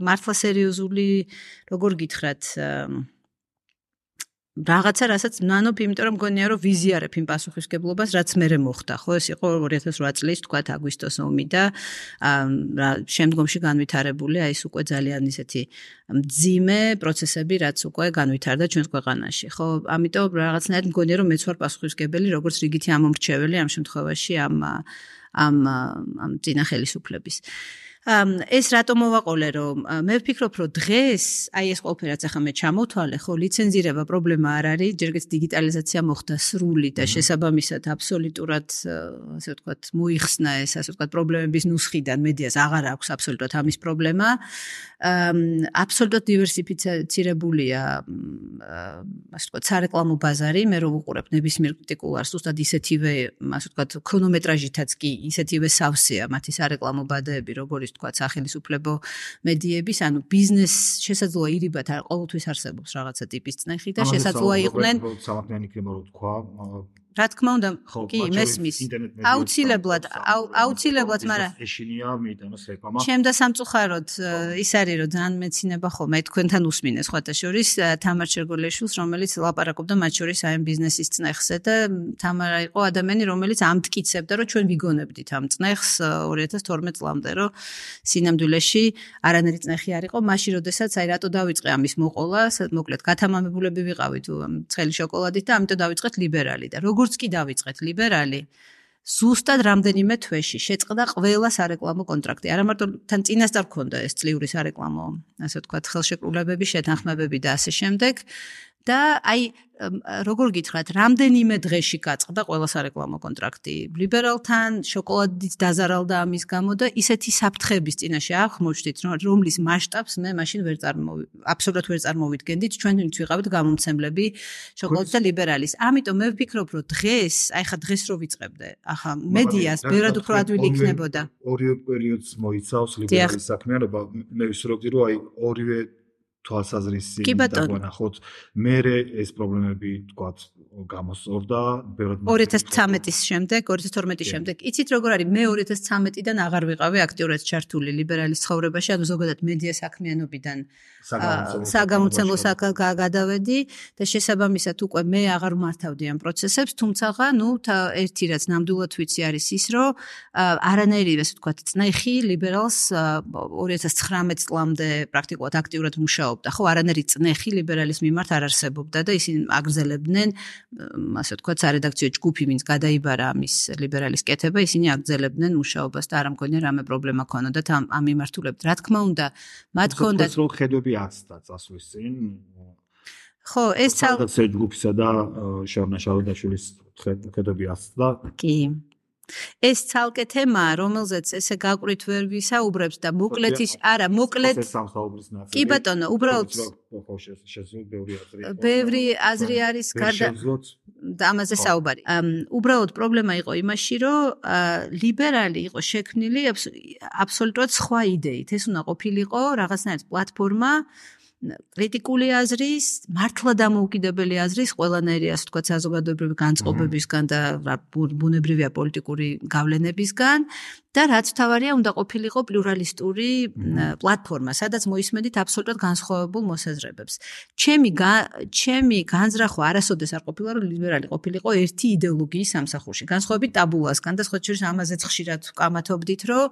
მართლა სერიოზული როგორ გითხრათ რაღაცა, რასაც ნანოფ, იმიტომ რომ მგონია, რომ ვიზიარებ იმ პასუხისგებლობას, რაც მერე მოხდა, ხო, ეს იყო ორი ათას რვა წლის, თქვათ, აგვისტოს ომი და შემდგომში განვითარებული, აი ეს უკვე ძალიან ისეთი მძიმე პროცესები, რაც უკვე განვითარდა ჩვენს ქვეყანაში, ხო, ამიტომ რაღაცნაირად მგონია, რომ მეც ვარ პასუხისგებელი, როგორც რიგითი ამომრჩეველი ამ შემთხვევაში ამ ამ ამ წინა ხელისუფლების. ეს რატომ მოვაყოლე, რომ მე ვფიქრობ, რომ დღეს აი ეს ყველაფერი რაც ახლა მე ჩამოვთვალე, ხო, ლიცენზირება პრობლემა არ არის, ჯერგეც დიგიტალიზაცია მოხდა სრული და შესაბამისად აბსოლუტურად, ასე ვთქვათ, მოიხსნა ეს, ასე ვთქვათ, პრობლემების ნუსხიდან მედიას აღარ აქვს აბსოლუტურად ამის პრობლემა. აბსოლუტურად დივერსიფიცირებულია, ასე ვთქვათ, სარეკლამო ბაზარი, მე რო ვუყურებ ნებისმიერ კრიტიკულარს, ზუსტად ისეთივე, ასე ვთქვათ, ქრონომეტრაჟითაც კი ისეთივე სავსეა მათი სარეკლამო ბადეები, როგორც თქვათ, სახელმწიფო მედიების, ანუ ბიზნეს შესაძლოა ირიბათ არ ყოველთვის არსებობს რაღაცა ტიპის წნეხი და შესაძლოა იყვნენ სამართლიანი იქნება რომ თქვა რა თქმა უნდა, კი, მესმის. აუცილებლად, აუცილებლად, მაგრამ ეშინია მიიტანოს რეკლამა. ჩემ და სამწუხაროდ ის არის, რომ ძალიან მეცინება ხოლმე თქვენთან უსმინეს სხვათა შორის თამარ შერგოლეშვილს, რომელიც ლაპარაკობდა მათ შორის აი ბიზნესის წნეხზე და თამარა იყო ადამიანი, რომელიც ამტკიცებდა, რომ ჩვენ ვიგონებდით ამ წნეხს ორი ათას თორმეტ წლამდე, რომ სინამდვილეში არანაირი წნეხი არ იყო, მაშინ როდესაც აი რატო დავიწყე ამის მოყოლა, მოკლედ გათამამებულები ვიყავით ცხელი შოკოლადით და ამიტომ დავიწყეთ ლიბერალი და როგორ როგორც კი დავიწყეთ ლიბერალი, ზუსტად რამდენიმე თვეში შეწყდა ყველა სარეკლამო კონტრაქტი. არა მარტო თან წინასწარ გქონდა ეს წლიური სარეკლამო, ასე ვთქვათ, ხელშეკრულებები, შეთანხმებები და ასე შემდეგ. და აი როგორ გითხრათ, რამდენიმე დღეში გაწყდა ყველა სარეკლამო კონტრაქტი ლიბერალთან, შოკოლადით დაზარალდა ამის გამო და ისეთი საფრთხების წინაშე აღმოჩნდით, რომლის მასშტაბს მე მაშინ ვერ წარმოვი, აბსოლუტურად ვერ წარმოვიდგენდით, ჩვენ ვინც ვიყავით გამომცემლები შოკოლადის და ლიბერალის. ამიტომ მე ვფიქრობ, რომ დღეს, აი ხა დღეს რო ვიწყებდე, ახლა მედიას ბევრად უფრო ადვილი იქნებოდა. ორივე პერიოდს მოიცავს ლიბერალის საქმიანობა. მე ვისურვებდი, რომ აი ორივე თვალსაზრისი და გვანახოთ მე ეს პრობლემები თქვათ გამოსწორდა ორი ათას ცხრამეტის შემდეგ ორი ათას თორმეტის შემდეგ იცით როგორ არის მე ორი ათას ცხრამეტიდან აღარ ვიყავი აქტიურად ჩართული ლიბერალის ცხოვრებაში ანუ ზოგადად მედია საქმიანობიდან საგამომცემლო გადავედი და შესაბამისად უკვე მე აღარ მართავდი ამ პროცესებს თუმცა ნუ ერთი რაც ნამდვილად ვიცი არის ის რომ არანაირი ასე ვთქვათ წნეხი ლიბერალს ორი ათას ცხრამეტ წლამდე პრაქტიკულად აქტიურად მუშაობდა ხო არანაირი წნეხი ლიბერალის მიმართ არ არსებობდა და ისინი აგრძელებდნენ ასე ვთქვათ სარედაქციო ჯგუფი ვინც გადაიბარა ამის ლიბერალის კეთება ისინი აგრძელებდნენ მუშაობას და არ ამგონია რამე პრობლემა ქონოდათ ამ ამ მიმართულებით რა თქმა უნდა მათ ქონდათ რო ხედვები აცდა წასვლის წინ ხო ეს სარედაქციო ჯგუფისა და შარნა შაროდაშვილის ხედვები აცდა კი ეს ცალკე თემაა რომელზეც ესე გაყვრით ვერ ვისაუბრებს და მოკლედ ის არა მოკლედ კი ბატონო უბრალოდ ბევრი აზრი არის გარდა და ამაზე საუბარი უბრალოდ პრობლემა იყო იმაში რომ ლიბერალი იყო შექმნილი აბსოლუტურად სხვა იდეით ეს უნდა ყოფილიყო რაღაცნაირად პლატფორმა კრიტიკული აზრის, მართლა დამოუკიდებელი აზრის ყველანაირი ასე ვთქვათ საზოგადოებრივი განწყობებისგან და ბუნებრივია პოლიტიკური გავლენებისგან და რაც თავარია უნდა ყოფილიყო პლურალისტური პლატფორმა, სადაც მოისმენდით აბსოლუტურად განსხვავებულ მოსაზრებებს. ჩემი ჩემი განზრახვა არასოდეს არ ყოფილა რომ ლიბერალი ყოფილიყო ერთი იდეოლოგიის სამსახურში, განსხვავებით ტაბულასგან და სხვა შორის ამაზეც ხშირად ვკამათობდით რომ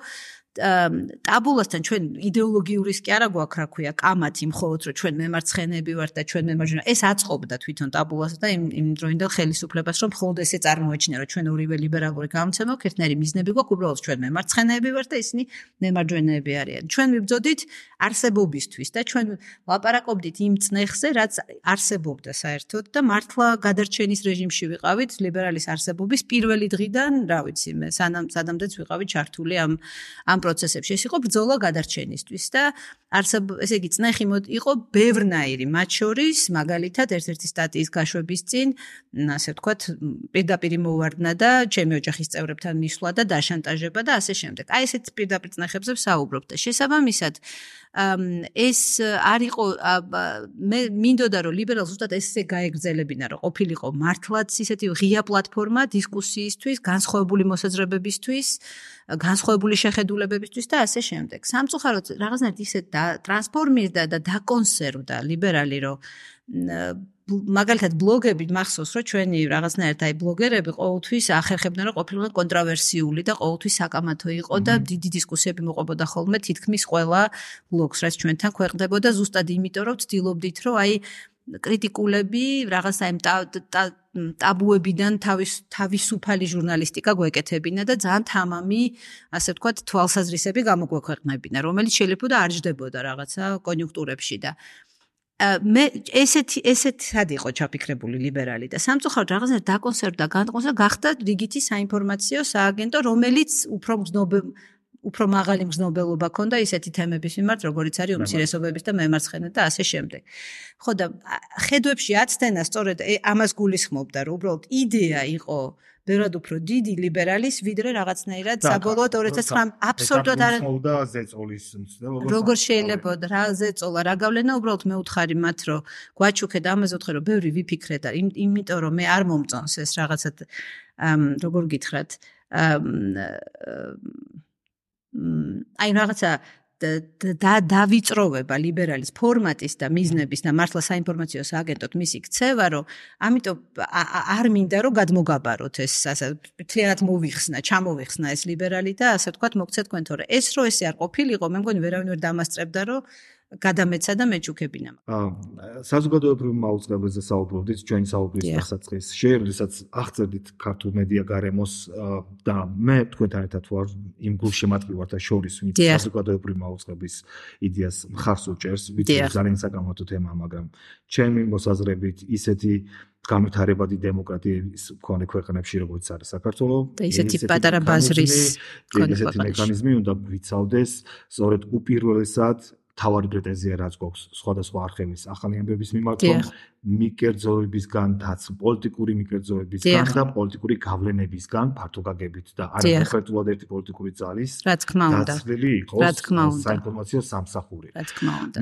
ტაბულასთან ჩვენ იდეოლოგიურის კი არა გვაქვს რა ქვია კამათი მხოლოდ რომ ჩვენ მემარცხენეები ვართ და ჩვენ მემარჯვენე ეს აწყობდა თვითონ ტაბულას და იმ იმ დროინდელ ხელისუფლებას რომ მხოლოდ ესე წარმოეჩინა რომ ჩვენ ორივე ლიბერალური გამოცემა გვაქვს ერთნაირი მიზნები გვაქვს უბრალოდ ჩვენ მემარცხენეები ვართ და ისინი მემარჯვენეები არიან ჩვენ ვიბრძოდით არსებობისთვის და ჩვენ ლაპარაკობდით იმ წნეხზე რაც არსებობდა საერთოდ და მართლა გადარჩენის რეჟიმში ვიყავით ლიბერალის არსებობის პირველი დღიდან რა ვიცი მე სანამ სადამდეც ვიყავით ჩართული ამ ამ პროცესებში ეს იყო ბრძოლა გადარჩენისთვის და არსებ ესე იგი წნეხი იყო ბევრნაირი მათ შორის მაგალითად ერთ-ერთი სტატიის გაშვების წინ ასე ვთქვათ პირდაპირ მოვარდნა და ჩემი ოჯახის წევრებთან მისვლა და დაშანტაჟება და ასე შემდეგ აი ესეთ პირდაპირ წნეხებზე ვსაუბრობ და შესაბამისად ეს არ იყო მე მინდოდა რომ ლიბერალს ზუსტად ესე გაეგრძელებინა რომ ყოფილიყო მართლაც ისეთი ღია პლატფორმა დისკუსიისთვის განსხვავებული მოსაზრებებისთვის განსხვავებული შეხედულებებისთვის და ასე შემდეგ. სამწუხაროდ რაღაცნაირად ისე ტრანსფორმირდა და დაკონსერვდა ლიბერალი რომ მაგალითად ბლოგები მახსოვს რომ ჩვენი რაღაცნაირად აი ბლოგერები ყოველთვის ახერხებდნენ რომ ყოფილიყო კონტროვერსიული და ყოველთვის საკამათო იყო და დიდი დისკუსიები მოყვებოდა ხოლმე თითქმის ყველა ბლოგს რაც ჩვენთან ქვეყნდებოდა ზუსტად იმიტომ რომ ვცდილობდით რომ აი კრიტიკულები რაღაცა იმ ტაბუებიდან თავის თავისუფალი ჟურნალისტიკა გვეკეთებინა და ძალიან თამამი ასე ვთქვათ თვალსაზრისები გამოგვექვეყნებინა რომელიც შეიძლება არ ჯდებოდა რაღაცა კონიუნქტურებში და მე ესეთი ესეთად იყო ჩაფიქრებული ლიბერალი და სამწუხაროდ რაღაცნაირად დაკონსერვდა განკონსერვდა გახდა რიგითი საინფორმაციო სააგენტო რომელიც უფრო მგზნობელ უფრო მაღალი მგზნობელობა ქონდა ისეთი თემების მიმართ, როგორიც არის უმცირესობების და მემარცხენე და ასე შემდეგ. ხო და ხედვებში აცდენა სწორედ ამას გულისხმობდა, რომ უბრალოდ იდეა იყო ბევრად უფრო დიდი ლიბერალის, ვიდრე რაღაცნაირად საბოლოოდ ორი ათას ცხრამეტ აბსოლუტურად არ მოვდა ზეწოლის მცდელობა. როგორ შეიძლება რა ზეწოლა, რა გავლენა, უბრალოდ მე ვთხარი მათ, რომ გვაჩუქე და ამაზე ვთხარ, რომ ბევრი ვიფიქრე და იმიტომ რომ მე არ მომწონს ეს რაღაცა როგორ გითხრათ აი რაღაცა და დავიწროვება ლიბერალის ფორმატის და მიზნების და მართლა საინფორმაციო სააგენტოდ მისი ქცევა, რომ ამიტომ არ მინდა რომ გადმოგაბაროთ ეს ასე მთლიანად მოვიხსნა, ჩამოვიხსნა ეს ლიბერალი და ასე ვთქვათ მოგცეთ თქვენ თორე ეს რო ესე არ ყოფილიყო, მე მგონი ვერავინ ვერ დამასწრებდა რომ გადამეცა და მეჩუქებინა. აა საზოგადოებრივ მაუწყებლებზე საუბრობდით ჩვენი საუბრის დასაწყის. შეერდესაც აღწერდით ქართულ მედია გარემოს და მე თქვენთან ერთად ვარ იმ გულშემატკივარ ვარ და შორის ვინც საზოგადოებრივ მაუწყებლის იდეას მხარს უჭერს, ვიცი ძალიან საკამათო თემაა, მაგრამ ჩემი მოსაზრებით ისეთი განვითარებადი დემოკრატიის მქონე ქვეყნებში როგორც არის საქართველო და ისეთი პატარა ბაზრის ესეთი მექანიზმი უნდა ვიცავდეს სწორედ უპირველესად თავარი პრეტენზია რაც გვაქვს სხვადასხვა არხების ახალი ამბების მიმართ, რომ მიკერძოებისგან დაც პოლიტიკური მიკერძოებისგან და პოლიტიკური გავლენებისგან ფართო გაგებით და არ კონკრეტულად ერთი პოლიტიკური ძალის დაცვილი იყოს საინფორმაციო სამსახური.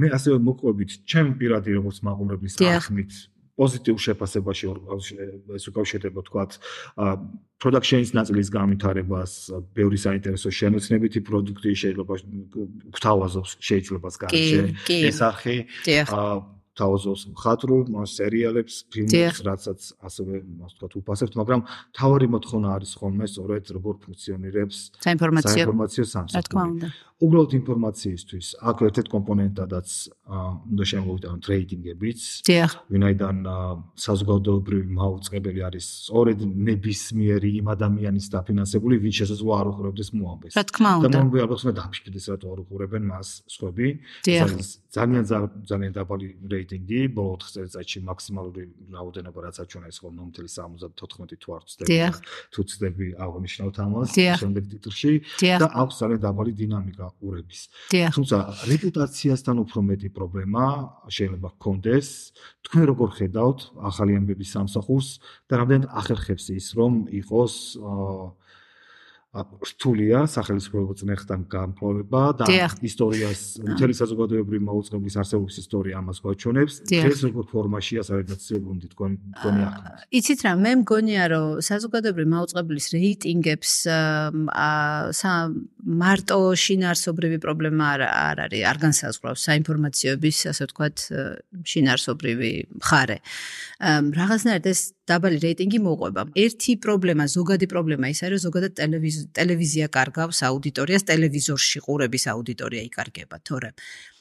მე ასევე მოყვებით ჩემ პირადი როგორც მაყურებლის ახმით პოზიტიურ შეფასებაში ეს უკავშირდება თქვათ production-ის ნაწილის განვითარებას, ბევრი საინტერესო შემოცნებითი პროდუქტი შეიძლება გვთავაზობს შეიძლება გარშე ეს არხი თავაზობს მხატვრულ სერიალებს, ფილმებს, რაცაც ასევე ასე ვთქვათ უფასებთ, მაგრამ თავარი მოთხოვნა არის ხოლმე სწორედ როგორ ფუნქციონირებს საინფორმაციო სამსახური. უბრალოდ ინფორმაციისთვის აქ ერთ-ერთ კომპონენტადაც უნდა შემოვიტანოთ რეიტინგებიც, ვინაიდან საზოგადოებრივი მაუწყებელი არის სწორედ ნებისმიერი იმ ადამიანის დაფინანსებული, ვინც შესაძლოა არ უყურებდეს მოამბეს. რა თქმა უნდა. და მომბე ალბათ უნდა დაფიქრდეს რატო არ უყურებენ მას სხვები. ძალიან ძალიან დაბალი რეიტინგი, ბოლო ოთხ წელიწადში მაქსიმალური რაოდენობა რაც აჩვენა ის ხოლმე მთელი სამოცდათოთხმეტი თუ არ ვცდები თუ ვცდები აღნიშნავთ ამას შემდეგ ტიტრში და აქვს ძალიან დაბალი დინამიკა ყურების. თუმცა რეპუტაციასთან უფრო მეტი პრობლემა შეიძლება ჰქონდეს. თქვენ როგორ ხედავთ ახალი ამბების სამსახურს და რამდენად ახერხებს ის რომ იყოს რთულია სახელმწიფო წნეხთან გამკლავება და ისტორიას მთელი საზოგადოებრივი მაუწყებლის არსებობის ისტორია ამას გვაჩვენებს. ეს როგორ ფორმაშია საერთაშორისო თქვენ თქვენი ახმით. იცით რა, მე მგონია რომ საზოგადოებრივი მაუწყებლის რეიტინგებს მარტო შინაარსობრივი პრობლემა არ არის, არ განსაზღვრავს საინფორმაციოების, ასე ვთქვათ, შინაარსობრივი მხარე. რაღაცნაირად ეს დაბალი რეიტინგი მოყვება. ერთი პრობლემა, ზოგადი პრობლემა ის არის, რომ ზოგადად ტელევიზია კარგავს აუდიტორიას, ტელევიზორში ყურების აუდიტორია იკარგება, თორემ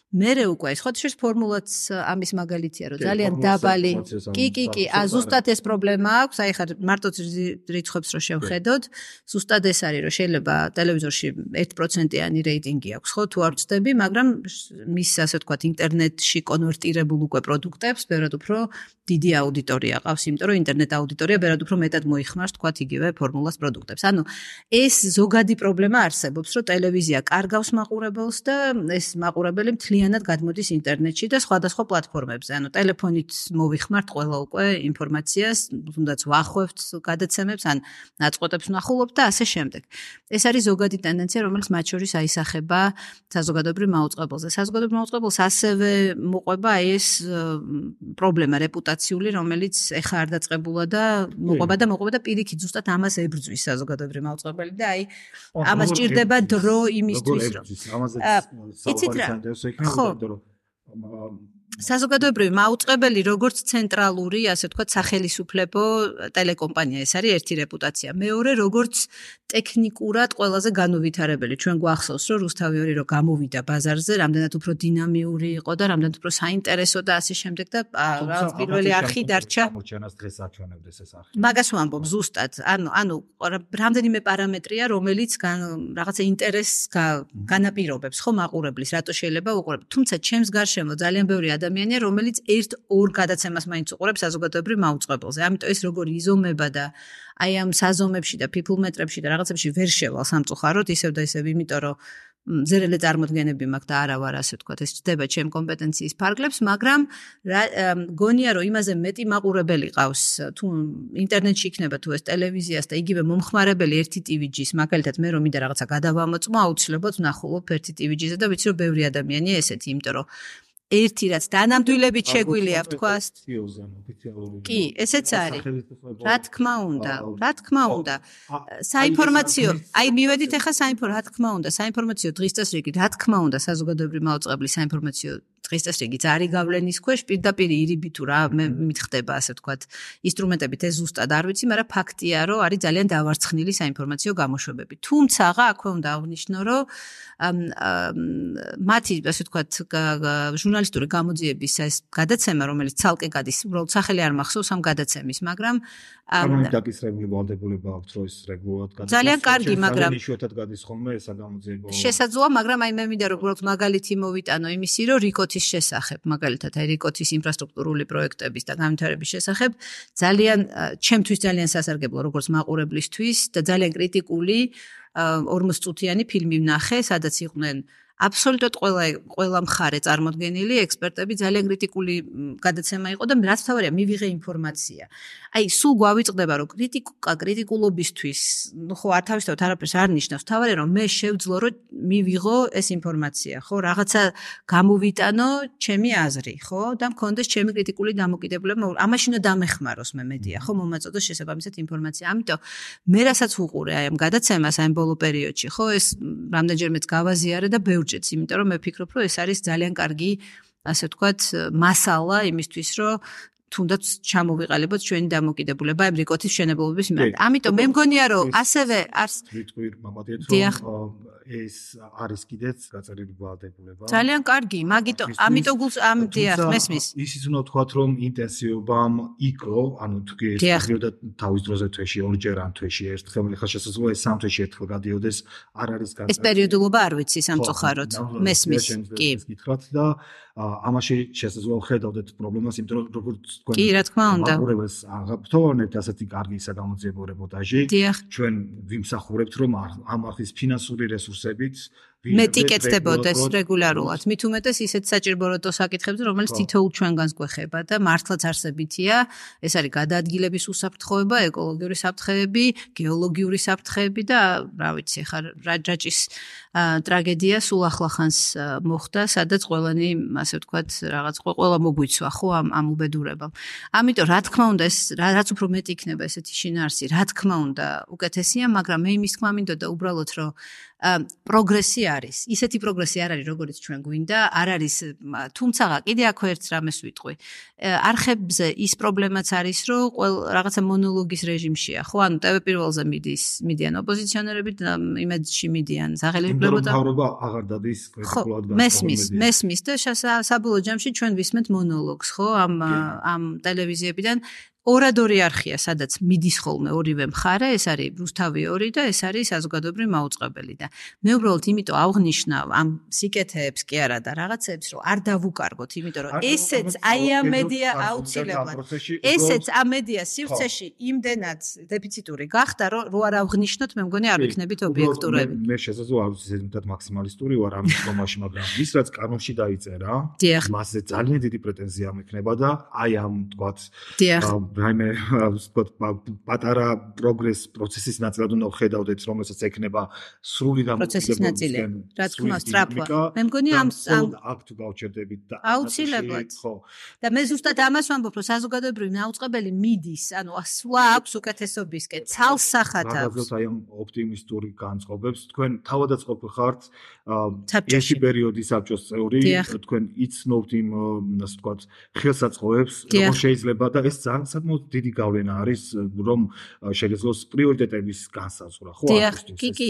მერე უკვე ეს ხოთშეს ფორმულაც ამის მაგალითია, რომ ძალიან დაბალი. კი, კი, კი, ა ზუსტად ეს პრობლემა აქვს, აი ხა მარტო რიცხვებს რო შევხედოთ, ზუსტად ეს არის, რომ შეიძლება ტელევიზორში ერთ პროცენტიანი რეიტინგი აქვს, ხო, თუ არ ვწდები, მაგრამ მის ასე ვთქვათ ინტერნეტში კონვერტირებულ უკვე პროდუქტებს ბევრად უფრო დიდი აუდიტორია ყავს, იმიტომ რომ ინტერნეტ აუდიტორია ბევრად უფრო მეტად მოიხმარს, თქვათ იგივე ფორმულას პროდუქტებს. ანუ ეს ზოგადი პრობლემა არსებობს, რომ ტელევიზია კარგავს მაყურებელს და ეს მაყურებელი მთლიანად გადმოდის ინტერნეტში და სხვადასხვა პლატფორმებზე. ანუ ტელეფონით მოვიხმართ ყველა უკვე ინფორმაციას, თუნდაც ვახვევთ გადაცემებს, ან ნაწყვეტებს ვნახულობთ და ასე შემდეგ. ეს არის ზოგადი ტენდენცია, რომელიც მათ შორის აისახება საზოგადოებრივ მაუწყებელზე. საზოგადოებრივ მაუწყებელს ასევე მოყვება ეს პრობლემა რეპუტაციული, რომელიც ეხა არ დაწყებულა და მოყვება და მოყვება და პირიქით ზუსტად ამას ებრძვის საზოგადოებრივი მაუწყებელი და აი ამას ჭირდება დრო იმისთვის, რომ იცით რა ხო საზოგადოებრივი მაუწყებელი როგორც ცენტრალური, ასე ვთქვათ, სახელისუფლებო ტელეკომპანია, ეს არის ერთი რეპუტაცია. მეორე, როგორც ტექნიკურად ყველაზე განუვითარებელი. ჩვენ გვახსოვს, რომ რუსთავი ორი რო გამოვიდა ბაზარზე, რამდენად უფრო დინამიური იყო და რამდენად უფრო საინტერესო და ასე შემდეგ და რაღაც პირველი არხი დარჩა. მოჩენას დღეს აჩვენებდეს ეს არხი. მაგას ვამბობ ზუსტად. ანუ ანუ რამდენიმე პარამეტრია, რომელიც რაღაცა ინტერესს განაპირობებს, ხო, მაყურებლის, რატო შეიძლება უყურებ. თუმცა ჩემს გარშემო ძალიან ბევრი ადამიანია, რომელიც ერთ ორ გადაცემას მაინც უყურებს საზოგადოებრივ მაუწყებელზე. ამიტომ ეს როგორ იზომება და აი ამ საზომებში და ფიფლმეტრებში და რაღაცებში ვერ შევალ სამწუხაროდ ისევ და ისევ, იმიტომ რომ ზერელე წარმოდგენები მაქვს და არა ვარ ასე ვთქვათ, ეს ჩდება ჩემ კომპეტენციის ფარგლებს, მაგრამ გონია რომ იმაზე მეტი მაყურებელი ყავს, თუ ინტერნეტში იქნება თუ ეს ტელევიზიას და იგივე მომხმარებელი ერთი ტივიჯის, მაგალითად მე რომ მინდა რაღაცა გადავამოწმო, აუცილებლად ვნახულობ ერთი ტივიჯიზე და ვიცი რომ ბევრი ადამიანია ესეთი, იმიტომ რომ ერთი რაც დანამდვილებით შეგვილია ვთქვას. კი, ესეც არის. რა თქმა უნდა, რა თქმა უნდა. საინფორმაციო, აი მივედით ახლა საინფორმაციო, რა თქმა უნდა, საინფორმაციო დღის წესრიგი, რა თქმა უნდა, საზოგადოებრივი მაუწყებლის საინფორმაციო დღის წესრიგიც არის გავლენის ქვეშ, პირდაპირ ირიბი თუ რა მითხდება, ასე ვთქვათ, ინსტრუმენტებით ეს ზუსტად არ ვიცი, მაგრამ ფაქტია, რომ არის ძალიან დავარცხნილი საინფორმაციო გამოშვებები. თუმცა, აქვე უნდა აღნიშნო, რომ მათი, ასე ვთქვათ, ჟურნალისტური გამოძიების ეს გადაცემა, რომელიც ცალკე გადის, უბრალოდ სახელი არ მახსოვს ამ გადაცემის, მაგრამ ამ დაკისრებული ვალდებულება აქვს, რომ ეს რეგულარულად გადის. ძალიან კარგი, მაგრამ იშვიათად გადის ხოლმე ეს გამოძიება. შესაძლოა, მაგრამ აი მე მინდა რომ უბრალოდ მაგალითი მოვიტანო იმისი, რომ რიკოთის შესახებ, მაგალითად, აი რიკოთის ინფრასტრუქტურული პროექტების და განვითარების შესახებ ძალიან ჩემთვის ძალიან სასარგებლო როგორც მაყურებლისთვის და ძალიან კრიტიკული ორმოც წუთიანი ფილმი ვნახე, სადაც იყვნენ აბსოლუტურად ყველა ყველა მხარე წარმოდგენილი, ექსპერტები, ძალიან კრიტიკული გადაცემა იყო და რაც თავარია მივიღე ინფორმაცია. აი, სულ გვავიწყდება, რომ კრიტიკა კრიტიკულობისთვის, ну ხო, არ თავისთავად არაფერს არ ნიშნავს, თავარია რომ მე შევძლო, რომ მივიღო ეს ინფორმაცია, ხო, რაღაცა გამოვიტანო ჩემი აზრი, ხო, და მქონდეს ჩემი კრიტიკული დამოკიდებულება, ამაში უნდა დამეხმაროს მე მედია, ხო, მომაწოდოს შესაბამისად ინფორმაცია. ამიტომ მე რასაც ვუყურე აი ამ გადაცემას, აი ამ ბოლო პერიოდში, ხო, ეს რამდენჯერმეც გავაზიარე და ბევრჯერაც, იმიტომ რომ მე ვფიქრობ, რომ ეს არის ძალიან კარგი, ასე ვთქვათ, მასალა იმისთვის, რომ თუნდაც ჩამოვიყალიბოთ ჩვენი დამოკიდებულება ამ რიკოთის მშენებლობის მიმართ. ამიტომ მე მგონია, რომ ასევე არს ვიტყვი მამადიეთ, რომ ეს არის კიდეც გაწერილი ვალდებულება. ძალიან კარგი, მაგიტომ ამიტომ გულს ამ დიახ, მესმის. ისიც უნდა ვთქვათ, რომ ინტენსივობამ იქო, ანუ თუ ეს პერიოდა თავის დროზე თვეში ორჯერ ან თვეში ერთხელ, ხა შესაძლოა ეს სამ თვეში ერთხელ გადიოდეს, არ არის გაწერილი. ეს პერიოდულობა არ ვიცი სამწუხაროდ. მესმის. კი. გითხრათ და ამაში შესაძლოა ხედავდეთ პრობლემას, იმიტომ რომ როგორც თქვენ კი, რა თქმა უნდა. აღურებას აღფრთოვანებთ ასეთი კარგი საგამოძიებო რეპორტაჟი. ჩვენ ვიმსახურებთ, რომ ამ ახის ფინანსური რესურსებით მეტი კეთდებოდეს რეგულარულად. მით უმეტეს ისეთ საჭიროებო საკითხებზე, რომელიც თითოეულ ჩვენგანს გვეხება და მართლაც არსებითია. ეს არის გადაადგილების უსაფრთხოება, ეკოლოგიური საფრთხეები, გეოლოგიური საფრთხეები და რა ვიცი, ხა რაჯაჭის ტრაგედია სულ ახლახანს მოხდა, სადაც ყველანი, ასე ვთქვათ, რაღაც ყველა მოგვიცვა, ხო, ამ ამ უბედურებამ. ამიტომ რა თქმა უნდა, ეს რაც უფრო მეტი იქნება ესეთი შინაარსი, რა თქმა უნდა, უკეთესია, მაგრამ მე იმის თქმა მინდოდა უბრალოდ, რომ პროგრესი არის. ისეთი პროგრესი არ არის, როგორც ჩვენ გვინდა, არ არის, თუმცა კიდე აქ ერთ რამეს ვიტყვი. არხებზე ის პრობლემაც არის, რომ ყოველ რაღაცა მონოლოგის რეჟიმშია, ხო? ანუ ტევ პირველზე მიდის, მიდიან ოპოზიციონერები და იმედში მიდიან სახელმწიფო და მთავრობა აღარ დადის კრიტიკულად განსხვავებული. მესმის, მესმის და საბოლოო ჯამში ჩვენ ვისმენთ მონოლოგს, ხო? ამ ამ ტელევიზიებიდან ორადორი არხია, სადაც მიდის ხოლმე ორივე მხარე, ეს არის რუსთავი ორი და ეს არის საზოგადოებრივი მაუწყებელი და მე უბრალოდ იმიტომ აღნიშნავ ამ სიკეთეებს კი არა და რაღაცებს, რომ არ დავუკარგოთ, იმიტომ რომ ესეც აი ამ მედია აუცილებლად. ესეც ამ მედია სივრცეში იმდენად დეფიციტური გახდა, რომ რო არ აღნიშნოთ, მე მგონი არ ვიქნებით ობიექტურები. მე შესაძლოა არ ვიცი, ზედმეტად მაქსიმალისტური ვარ ამ თემაში, მაგრამ ის რაც კანონში დაიწერა, მასზე ძალიან დიდი პრეტენზია მექნება და აი ამ თქვათ რაიმე ვთქვათ პატარა პროგრეს პროცესის ნაწილად უნდა ხედავდეთ, რომელსაც ექნება სრული პროცესის ნაწილი. რა თქმა უნდა, სტრაფვა. მე მგონი ამ აქ თუ გავჩერდებით და აუცილებლად. ხო. და მე ზუსტად ამას ვამბობ, რომ საზოგადოებრივი მაუწყებელი მიდის, ანუ სვლა აქვს უკეთესობისკენ, ცალსახად აქვს. რაღაცა აი ამ ოპტიმისტური განწყობებს თქვენ თავადაც ყოფილხართ ერთი პერიოდი საბჭოს წევრი, თქვენ იცნობთ იმ ასე ვთქვათ ხელსაწყოებს, რომ შეიძლება და ეს ძალიან დიდი გავლენა არის, რომ შეგეძლოს პრიორიტეტების განსაზღვრა, ხო?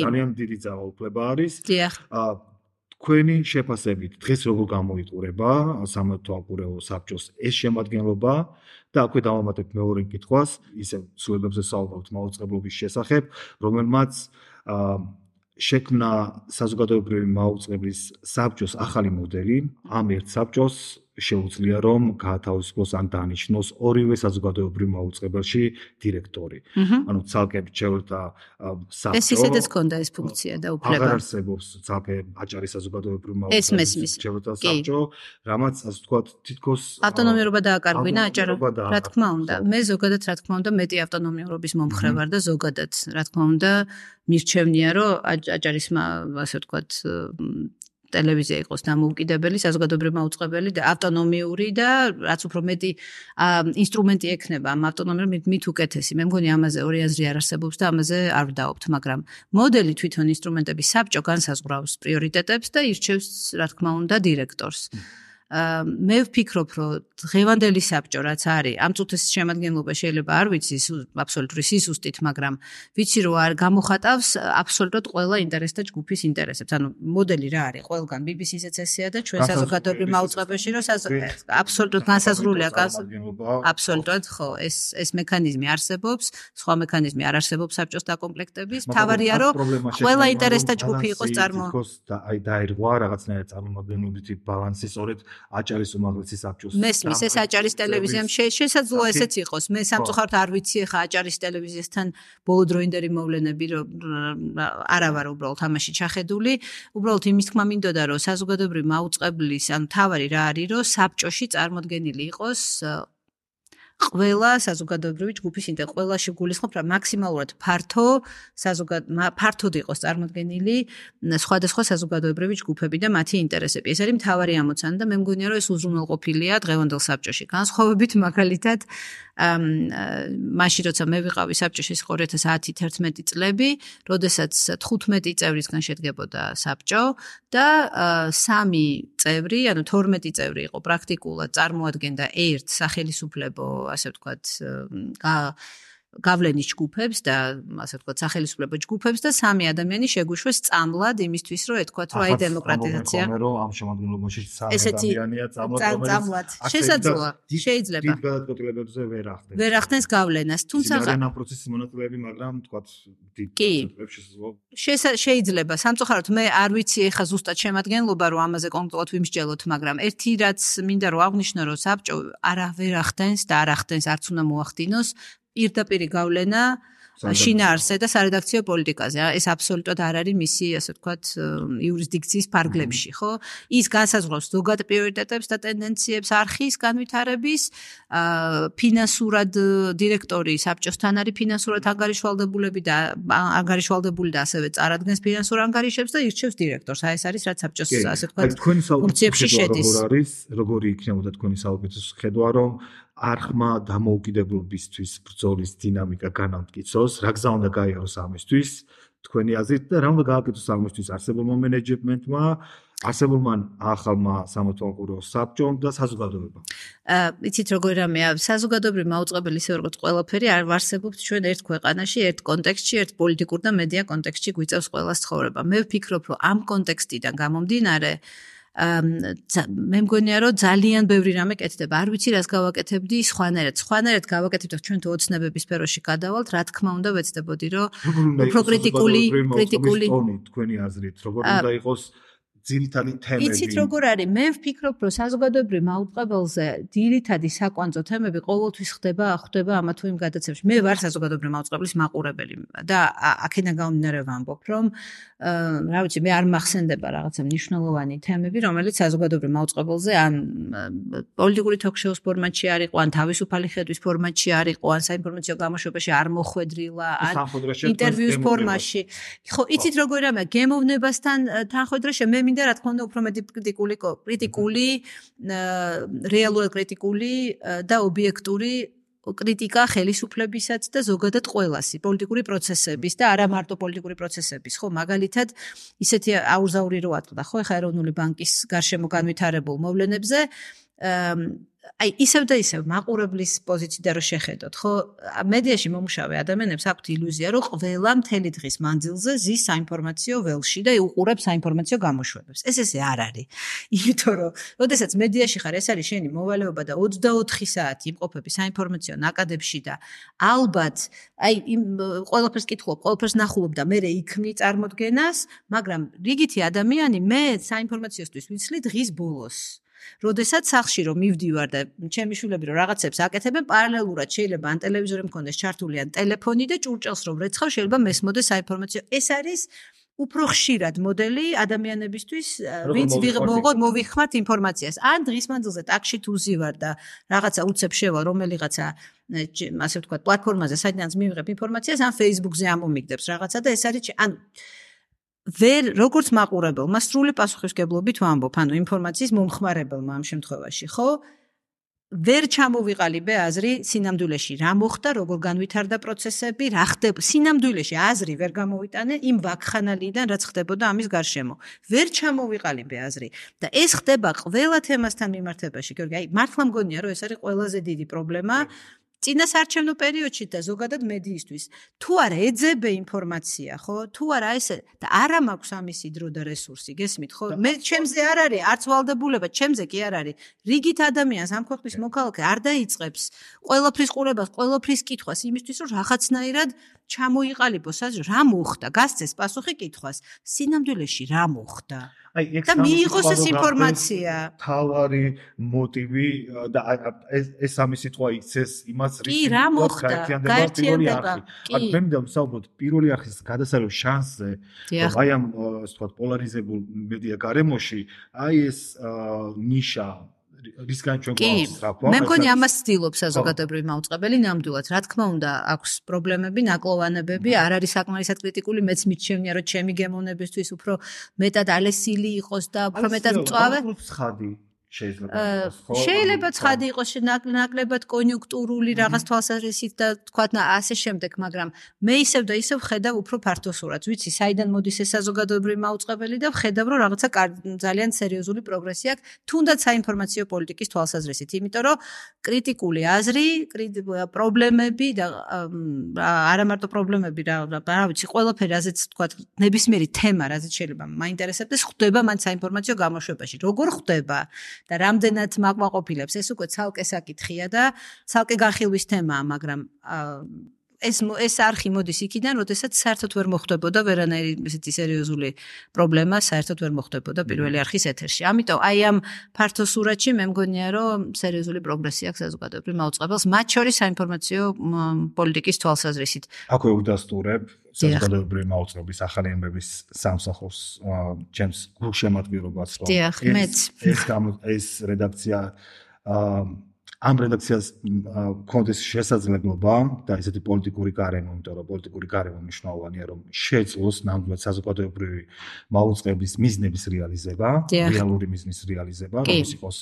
ძალიან დიდი ძალაუფლება არის. თქვენი შეფასებით დღეს როგორ გამოიყურება სამართალყურეო საბჭოს ეს შემადგენლობა და აქვე დავამატებ მეორე კითხვას, ისე ცვლილებებზე საუბრობთ მაუწყებლობის შესახებ, რომელმაც შექმნა საზოგადოებრივი მაუწყებლის საბჭოს ახალი მოდელი, ამ ერთ საბჭოს შეუძლია რომ გაათავისუფლოს ან დანიშნოს ორივე საზოგადოებრივ მაუწყებელში დირექტორი. ანუ ცალკე მრჩეველთა საბჭო. ეს ისედაც ქონდა ეს ფუნქცია და უფლება. აღარ არსებობს ცალკე აჭარის საზოგადოებრივ მაუწყებელში მრჩეველთა საბჭო, რამაც ასე ვთქვათ, თითქოს ავტონომიურობა დააკარგვინა აჭარა. რა თქმა უნდა, მე ზოგადად რა თქმა უნდა მეტი ავტონომიურობის მომხრე ვარ და ზოგადად რა თქმა უნდა მირჩევნია რომ აჭარის ასე ვთქვათ ტელევიზია იყოს დამოუკიდებელი, საზოგადოებრივი მაუწყებელი და ავტონომიური და რაც უფრო მეტი ინსტრუმენტი ექნება ამ ავტონომიურ მით უკეთესი. მე მგონი ამაზე ორი აზრი არ არსებობს და ამაზე არ ვდაობთ, მაგრამ მოდელი თვითონ ინსტრუმენტების საბჭო განსაზღვრავს პრიორიტეტებს და ირჩევს, რა თქმა უნდა, დირექტორს. მე ვფიქრობ, რომ დღევანდელი საბჭო რაც არის, ამ წუთის შემადგენლობა შეიძლება არ ვიცი აბსოლუტური სიზუსტით, მაგრამ ვიცი რომ არ გამოხატავს აბსოლუტურად ყველა ინტერესთა ჯგუფის ინტერესებს. ანუ მოდელი რა არის? ყველგან ბი ბი სი-ზეც ესეა და ჩვენ საზოგადოებრივ მაუწყებელში რომ აბსოლუტურად განსაზღვრულია აბსოლუტურად ხო, ეს ეს მექანიზმი არსებობს, სხვა მექანიზმი არ არსებობს საბჭოს დაკომპლექტების. თავარია რომ ყველა ინტერესთა ჯგუფი იყოს წარმო აი დაირღვა რაღაცნაირად წარმომადგენლობითი ბალანსი სწორედ აჭარის უმაღლესი საბჭოს მესმის ეს აჭარის ტელევიზიამ შესაძლოა ესეც იყოს. მე სამწუხაროდ არ ვიცი ხა აჭარის ტელევიზიასთან ბოლოდროინდელი მოვლენები არა ვარ უბრალოდ ამაში ჩახედული. უბრალოდ იმის თქმა მინდოდა რომ საზოგადოებრივი მაუწყებლის ან თავარი რა არის რომ საბჭოში წარმოდგენილი იყოს ყველა საზოგადოებრივი ჯგუფის ინტერესი, ყველაში გულისხმობ რა მაქსიმალურად ფართო საზოგად ფართოდ იყოს წარმოდგენილი სხვადასხვა საზოგადოებრივი ჯგუფები და მათი ინტერესები. ეს არის მთავარი ამოცანა და მე მგონია რომ ეს უზრუნველყოფილია დღევანდელ საბჭოში. განსხვავებით მაგალითად მაშინ როცა მე ვიყავი საბჭოში ორი ათას ათი თერთმეტი წლები, როდესაც თხუთმეტი წევრისგან შედგებოდა საბჭო და სამი წევრი, ანუ თორმეტი წევრი იყო პრაქტიკულად წარმოადგენდა ერთ სახელისუფლებო ასე ვთქვათ, გავლენის ჯგუფებს და ასე ვთქვათ, სახელისუფლებო ჯგუფებს და სამი ადამიანი შეგვიშვეს წამლად იმისთვის, რომ ეთქვათ, რომ აი დემოკრატიზაცია. რომ ამ შემადგენლობაში სამი ადამიანია წამლად. შესაძლოა, შეიძლება. დიდ გადაწყვეტილებებზე ვერ ახდენს. ვერ ახდენს გავლენას, თუმცა ამ პროცესის მონაწილეები, მაგრამ ვთქვათ, დიდ პროცესებში შესაძლოა. შეიძლება. სამწუხაროდ მე არ ვიცი ეხა ზუსტად შემადგენლობა, რომ ამაზე კონკრეტულად ვიმსჯელოთ, მაგრამ ერთი რაც მინდა რომ აღვნიშნო, რომ საბჭო არა ვერ ახდენს და არ ახდენს, არც უნდა მოახდინოს პირდაპირი გავლენა შინაარსზე და სარედაქციო პოლიტიკაზე. ეს აბსოლუტურად არ არის მისი, ასე ვთქვათ, იურისდიქციის ფარგლებში, ხო? ის განსაზღვრავს ზოგად პრიორიტეტებს და ტენდენციებს არხის განვითარების, ფინანსურად დირექტორი საბჭოსთან არის ფინანსურად ანგარიშვალდებულები და ანგარიშვალდებული და ასევე წარადგენს ფინანსურ ანგარიშებს და ირჩევს დირექტორს. აი ეს არის რაც საბჭოს, ასე ვთქვათ, ფუნქციებში შედის. როგორ არის, როგორი იქნებოდა თქვენი საუკეთესო ხედვა, რომ არხმა დამოუკიდებლობისთვის ბრძოლის დინამიკა განამტკიცოს, რა გზა უნდა გაიაროს ამისთვის, თქვენი აზრით და რა უნდა გააკეთოს ამისთვის არსებულმა მენეჯმენტმა, არსებულმა ახალმა სამართალმოყურო საბჭომ და საზოგადოებამ. აა, იცით როგორ რამეა, საზოგადოებრივი მაუწყებელი ისე როგორც ყველაფერი არ ვარსებობთ ჩვენ ერთ ქვეყანაში, ერთ კონტექსტში, ერთ პოლიტიკურ და მედია კონტექსტში გვიწევს ყველას ცხოვრება. მე ვფიქრობ, რომ ამ კონტექსტიდან გამომდინარე მე მგონია რომ ძალიან ბევრი რამე კეთდება. არ ვიცი რას გავაკეთებდი სხვანაირად. სხვანაირად გავაკეთებდი ჩვენ თუ ოცნებების სფეროში გადავალთ, რა თქმა უნდა ვეცდებოდი რომ უფრო კრიტიკული კრიტიკული თქვენი აზრით როგორ უნდა იყოს ძირითადი თემები. იცით როგორ არის? მე ვფიქრობ რომ საზოგადოებრივ მაუწყებელზე ძირითადი საკვანძო თემები ყოველთვის ხდება, ხდება ამა თუ იმ გადაცემებში. მე ვარ საზოგადოებრივ მაუწყებლის მაყურებელი და აქედან გამომდინარე ვამბობ რომ რა ვიცი, მე არ მახსენდება რაღაცა მნიშვნელოვანი თემები, რომელიც საზოგადოებრივ მაუწყებელზე ან პოლიტიკური თოქ-შოუს ფორმატში არ იყო, ან თავისუფალი ხედვის ფორმატში არ იყო, ან საინფორმაციო გამოშვებაში არ მოხვედრილა, ან ინტერვიუს ფორმაში. ხო, იცით როგორ რამე გემოვნებასთან თანხმდროში მე მინდა რა თქმა უნდა უფრო მეტი კრიტიკული კრიტიკული რეალურად კრიტიკული და ობიექტური კრიტიკა ხელისუფლებისაც და ზოგადად ყველასი პოლიტიკური პროცესების და არა მარტო პოლიტიკური პროცესების, ხო, მაგალითად ისეთი აურზაური რო ატყდა, ხო, ეხა ეროვნული ბანკის გარშემო განვითარებულ მოვლენებზე აი ისევ და ისევ მაყურებლის პოზიციიდან რო შეხედოთ, ხო, მედიაში მომუშავე ადამიანებს აქვთ ილუზია, რომ ყველა მთელი დღის მანძილზე ზის საინფორმაციო ველში და უყურებს საინფორმაციო გამოშვებებს. ეს ესე არ არის. იმიტომ რომ, როდესაც მედიაში ხარ, ეს არის შენი მოვალეობა და ოცდაოთხი საათი იმყოფები საინფორმაციო ნაკადებში და ალბათ, აი იმ ყველაფერს კითხულობ, ყველაფერს ნახულობ და მე იქმნი წარმოდგენას, მაგრამ რიგითი ადამიანი მე საინფორმაციოსთვის ვიცლი დღის ბოლოს. როდესაც სახში რომ მივდივარ და ჩემი შვილები რომ რაღაცებს აკეთებენ, პარალელურად შეიძლება ან ტელევიზორი მქონდეს ჩართული ან ტელეფონი და ჭურჭელს რომ რეცხავ, შეიძლება მესმოდეს საინფორმაციო. ეს არის უფრო ხშირად მოდელი ადამიანებისთვის, ვინც ვიღებოთ მოვიხმართ ინფორმაციას. ან დღის მანძილზე ტაქსში თუ ვზივარ და რაღაცა უცებ შევალ რომელიღაცა ასე ვთქვათ პლატფორმაზე, საიდანაც მივიღებ ინფორმაციას, ან Facebook-ზე ამომიგდებს რაღაცა და ეს არის ანუ ვერ როგორც მაყურებელმა სრული პასუხისმგებლობით ვამბობ, ანუ ინფორმაციის მომხმარებელმა ამ შემთხვევაში, ხო? ვერ ჩამოვიყალიბე აზრი სინამდვილეში რა მოხდა, როგორ განვითარდა პროცესები, რა ხდება სინამდვილეში აზრი ვერ გამოვიტანე იმ ვაკხანალიდან, რაც ხდებოდა ამის გარშემო. ვერ ჩამოვიყალიბე აზრი და ეს ხდება ყველა თემასთან მიმართებაში. გიორგი, აი მართლა მგონია რომ ეს არის ყველაზე დიდი პრობლემა წინასაარჩევნო პერიოდში და ზოგადად მედიისთვის. თუ არა ეძებე ინფორმაცია, ხო? თუ არა ესე და არა მაქვს ამისი დრო და რესურსი, გესმით, ხო? მე ჩემზე არ არის არც ვალდებულება, ჩემზე კი არ არის. რიგით ადამიანს ამ ქვეყნის მოქალაქე არ დაიწყებს ყველაფრის ყურებას, ყველაფრის კითხვას იმისთვის, რომ რაღაცნაირად ჩამოიყალიბოს აზრი, რა მოხდა, გასცეს პასუხი კითხვას. სინამდვილეში რა მოხდა? აი და მიიღოს ეს ინფორმაცია. თავარი მოტივი და ეს ეს სამი სიტყვა იცეს იმას კი, რა მოხდა? გაერთიანდება. აქ მე მინდა ვსაუბროთ პირველი არხის გადასარევ შანსზე, აი ამ ასე ვთქვათ პოლარიზებულ მედია გარემოში, აი ეს ნიშა რისგან ჩვენ გვაქვს რა. მე მგონი ამას ცდილობს საზოგადოებრივი მაუწყებელი ნამდვილად. რა თქმა უნდა, აქვს პრობლემები, ნაკლოვანებები, არ არის საკმარისად კრიტიკული, მეც მიჩვენია, რომ ჩემი გემოვნებისთვის უფრო მეტად ალესილი იყოს და უფრო მეტად მწვავე. ცხადი შეიძლება შეიძლება ცხადი იყოს ნაკლებად კონიუნქტურული რაღაც თვალსაზრისით და თქვათ ასე შემდეგ, მაგრამ მე ისევ და ისევ ხედავ უფრო ფართო სურათს. ვიცი, საიდან მოდის ეს საზოგადოებრივი მაუწყებელი და ვხედავ, რომ რაღაცა ძალიან სერიოზული პროგრესი აქვს, თუნდაც საინფორმაციო პოლიტიკის თვალსაზრისით, იმიტომ რომ კრიტიკული აზრი, პრობლემები და არა მარტო პრობლემები, რა ვიცი, ყველაფერი, რაზეც თქვათ, ნებისმიერი თემა, რაზეც შეიძლება მაინტერესებდეს, ხდება მან საინფორმაციო გამოშვებაში. როგორ ხდება? და რამდენად მაკმაყოფილებს ეს უკვე ცალკე საკითხია და ცალკე განხილვის თემაა, მაგრამ ეს ეს არხი მოდის იქიდან, როდესაც საერთოდ ვერ მოხდებოდა ვერანაირი ესეთი სერიოზული პრობლემა, საერთოდ ვერ მოხდებოდა პირველი არხის ეთერში. ამიტომ აი ამ ფართო სურათში მე მგონია, რომ სერიოზული პროგრესი აქვს საზოგადოებრივ მაუწყებელს, მათ შორის საინფორმაციო პოლიტიკის თვალსაზრისით. აქვე უდასტურებ საზოგადოებრივი მაუწყებლის ახალი ამბების სამსახურს ჩემს გულშემატკივრობას, რომ ეს ეს ეს რედაქცია ამ რედაქციას კონდეს შესაძლებლობა და ესეთი პოლიტიკური გარემო, იმიტომ რომ პოლიტიკური გარემო მნიშვნელოვანია, რომ შეძლოს ნამდვილად საზოგადოებრივი მაუწყებლის მიზნების რეალიზება, რეალური მიზნის რეალიზება, რომელიც იყოს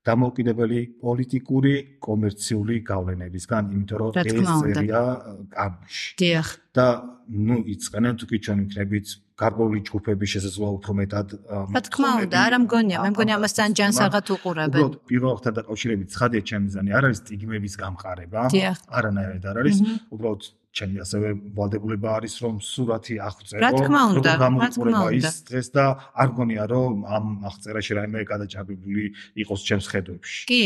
დამოუკიდებელი პოლიტიკური, კომერციული გავლენებისგან, იმიტომ რომ ეს წერია კამში. დიახ. და ნუ იწყენენ თუ კი ჩვენ ვიქნებით გარკვეული ჯგუფების შესაძლოა უფრო მეტად რა თქმა უნდა, არა მგონია, მე მგონი ამას ძალიან ჯანსაღად უყურებენ. უბრალოდ პირველთან დაკავშირებით ცხადია ჩემი მიზანი არ არის სტიგმების გამყარება, არანაირად არ არის, უბრალოდ ჩემი ასევე ვალდებულება არის რომ სურათი აღწერო, რომ გამოიყურება ის დღეს და არ მგონია რომ ამ აღწერაში რაიმე გადაჭარბებული იყოს ჩემს ხედვებში. კი,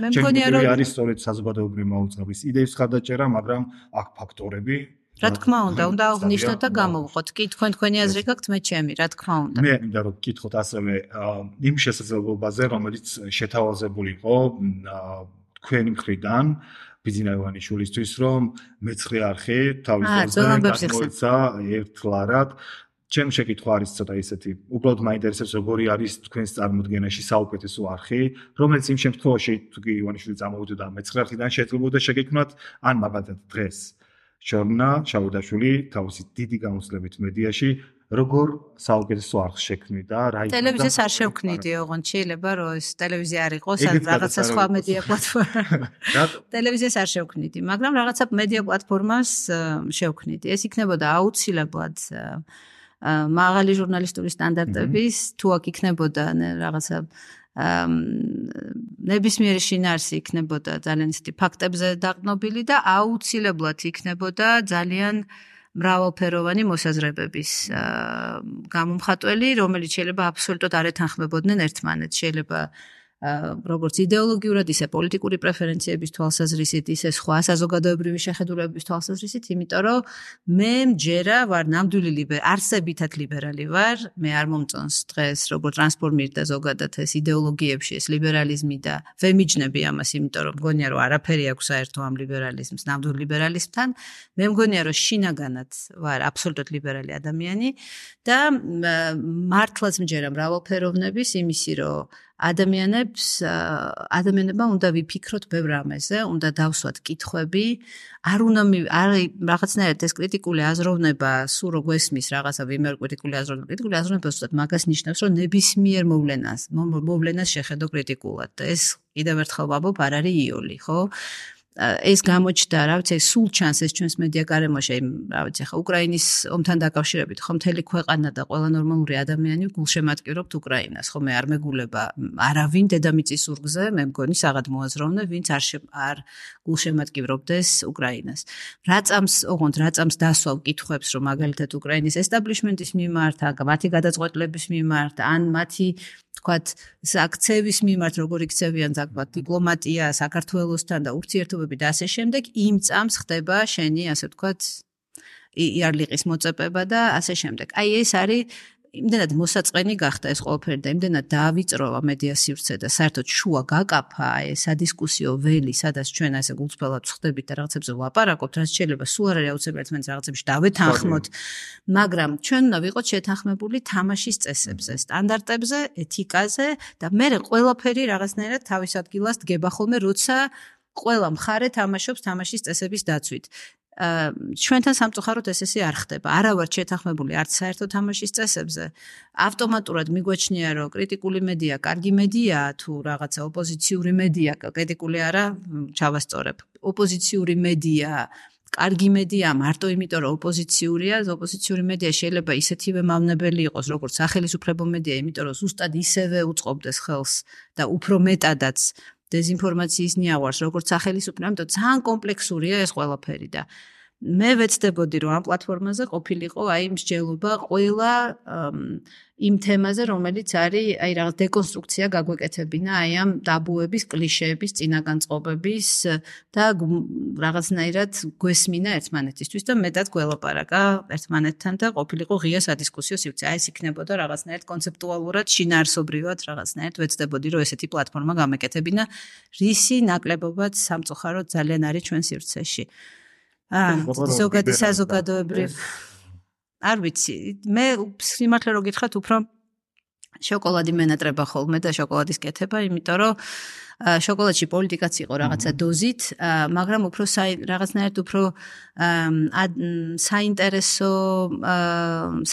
მე მგონია რომ არის სწორედ საზოგადოებრივი მაუწყებლის იდეის ხარდაჭერა, მაგრამ აქ ფაქტორები რა თქმა უნდა, უნდა აღნიშნოთ და გამოვყოთ. კი, თქვენ თქვენი აზრი გაქვთ, მე ჩემი, რა თქმა უნდა. მე მინდა რომ გკითხოთ ასევე იმ შესაძლებლობაზე, რომელიც შეთავაზებული იყო თქვენი მხრიდან ბიძინა ივანიშვილისთვის, რომ მეცხრე არხი თავის დროზე გამოიცა ერთლარად. ჩემი შეკითხვა არის ცოტა ისეთი, უბრალოდ მაინტერესებს როგორი არის თქვენს წარმოდგენაში საუკეთესო არხი, რომელიც იმ შემთხვევაში თუ კი ივანიშვილი წამოვიდოდა მეცხრე არხიდან შეეძლებოდა შეგექმნათ, ან მაგალითად დღეს ჟორნა ჩაუდაშვილი თავისი დიდი გამოსვლებით მედიაში როგორ საუკეთესო არხს შექმნიდა რა იყო ტელევიზიას არ შევქმნიდი ოღონდ შეიძლება რომ ეს ტელევიზია არ იყოს ან რაღაცა სხვა მედია პლატფორმა ტელევიზიას არ შევქმნიდი მაგრამ რაღაცა მედია პლატფორმას შევქმნიდი ეს იქნებოდა აუცილებლად მაღალი ჟურნალისტური სტანდარტების თუ აქ იქნებოდა რაღაცა ნებისმიერი შინაარსი იქნებოდა ძალიან ისეთი ფაქტებზე დაყრდნობილი და აუცილებლად იქნებოდა ძალიან მრავალფეროვანი მოსაზრებების გამომხატველი, რომელიც შეიძლება აბსოლუტურად არ ეთანხმებოდნენ ერთმანეთს, შეიძლება როგორც იდეოლოგიურად, ისე პოლიტიკური პრეფერენციების თვალსაზრისით, ისე სხვა საზოგადოებრივი შეხედულებების თვალსაზრისით, იმიტომ რომ მე მჯერა ვარ ნამდვილი ლიბერალი, არსებითად ლიბერალი ვარ, მე არ მომწონს დღეს როგორ ტრანსფორმირდა ზოგადად ეს იდეოლოგიებში ეს ლიბერალიზმი და ვემიჯნები ამას, იმიტომ რომ მგონია რომ არაფერი აქვს საერთო ამ ლიბერალიზმს, ნამდვილ ლიბერალიზმთან, მე მგონია რომ შინაგანად ვარ აბსოლუტურად ლიბერალი ადამიანი და მართლაც მჯერა მრავალფეროვნების იმისი რომ ადამიანებს ადამიანებმა უნდა ვიფიქროთ ბევრ რამეზე, უნდა დავსვათ კითხვები, არ უნდა არ რაღაცნაირად ეს კრიტიკული აზროვნება სულ რო გვესმის რაღაცა ვიმერ კრიტიკული აზროვნება, კრიტიკული აზროვნება ზუსტად მაგას ნიშნავს, რომ ნებისმიერ მოვლენას, მოვლენას შეხედო კრიტიკულად და ეს კიდევ ერთხელ ვაბობ არ არის იოლი, ხო? ეს გამოჩნდა, რა ვიცი, სულ ჩანს ეს ჩვენს მედია გარემოში, რა ვიცი, ხა უკრაინის ომთან დაკავშირებით, ხო მთელი ქვეყანა და ყველა ნორმალური ადამიანი გულშემატკივრობთ უკრაინას, ხო მე არ მეგულება არავინ დედამიწის ურგზე, მე მგონი საღად მოაზროვნე, ვინც არ არ გულშემატკივრობდეს უკრაინას. რა წამს, ოღონდ რა წამს დასვავ კითხვებს, რომ მაგალითად უკრაინის ესტაბლიშმენტის მიმართ, მათი გადაწყვეტილების მიმართ, ან მათი თქვათ აქცეების მიმართ როგორ იქცევიან თქვათ დიპლომატია საქართველოსთან და ურთიერთობები და ასე შემდეგ იმ წამს ხდება შენი ასე თქვათ იარლიყის მოწეპება და ასე შემდეგ. აი ეს არის იმდენად მოსაწყენი გახდა ეს ყველაფერი და იმდენად დაავიწროვა მედია სივრცე და საერთოდ შუა გაკაფა ეს სადისკუსიო ველი, სადაც ჩვენ ასე გულწრფელად ვხდებით და რაღაცებზე ვლაპარაკობთ, რაც შეიძლება სულ არ არის აუცილებელი ერთმანეთს რაღაცებში დავეთანხმოთ, მაგრამ ჩვენ უნდა ვიყოთ შეთანხმებული თამაშის წესებზე, სტანდარტებზე, ეთიკაზე და მე ყველაფერი რაღაცნაირად თავის ადგილას დგება ხოლმე, როცა ყველა მხარე თამაშობს თამაშის წესების დაცვით. ჩვენთან სამწუხაროდ ეს ესე არ ხდება. არა ვართ შეთანხმებული არც საერთო თამაშის წესებზე. ავტომატურად მიგვაჩნია, რომ კრიტიკული მედია კარგი მედიაა თუ რაღაცა ოპოზიციური მედია, კრიტიკული არა, ჩავასწორებ. ოპოზიციური მედია კარგი მედია მარტო იმიტომ, რომ ოპოზიციურია, ოპოზიციური მედია შეიძლება ისეთივე მავნებელი იყოს, როგორც სახელისუფლებო მედია, იმიტომ რომ ზუსტად ისევე უწყობდეს ხელს და უფრო მეტადაც დეზინფორმაციის ნიავარს, როგორც სახელისუფლება, ამიტომ ძალიან კომპლექსურია ეს ყველაფერი და მე ვეცდებოდი, რომ ამ პლატფორმაზე ყოფილიყო აი მსჯელობა ყველა იმ თემაზე, რომელიც არის აი რაღაც დეკონსტრუქცია გაგვეკეთებინა აი ამ ტაბუების, კლიშეების, წინაგანწყობების და რაღაცნაირად გვესმინა ერთმანეთისთვის და მეტად გველაპარაკა ერთმანეთთან და ყოფილიყო ღია სადისკუსიო სივრცე. აი ეს იქნებოდა რაღაცნაირად კონცეპტუალურად, შინაარსობრივად რაღაცნაირად ვეცდებოდი, რომ ესეთი პლატფორმა გამეკეთებინა, რისი ნაკლებობაც სამწუხაროდ ძალიან არის ჩვენ სივრცეში. აა ზოგადი საზოგადოებრივ არ ვიცი მე სიმართლე რო გითხრათ უფრო შოკოლადი მენატრება ხოლმე და შოკოლადის კეთება იმიტომ რომ შოკოლადში პოლიტიკაც იყო რაღაცა დოზით მაგრამ უფრო რაღაცნაირად უფრო საინტერესო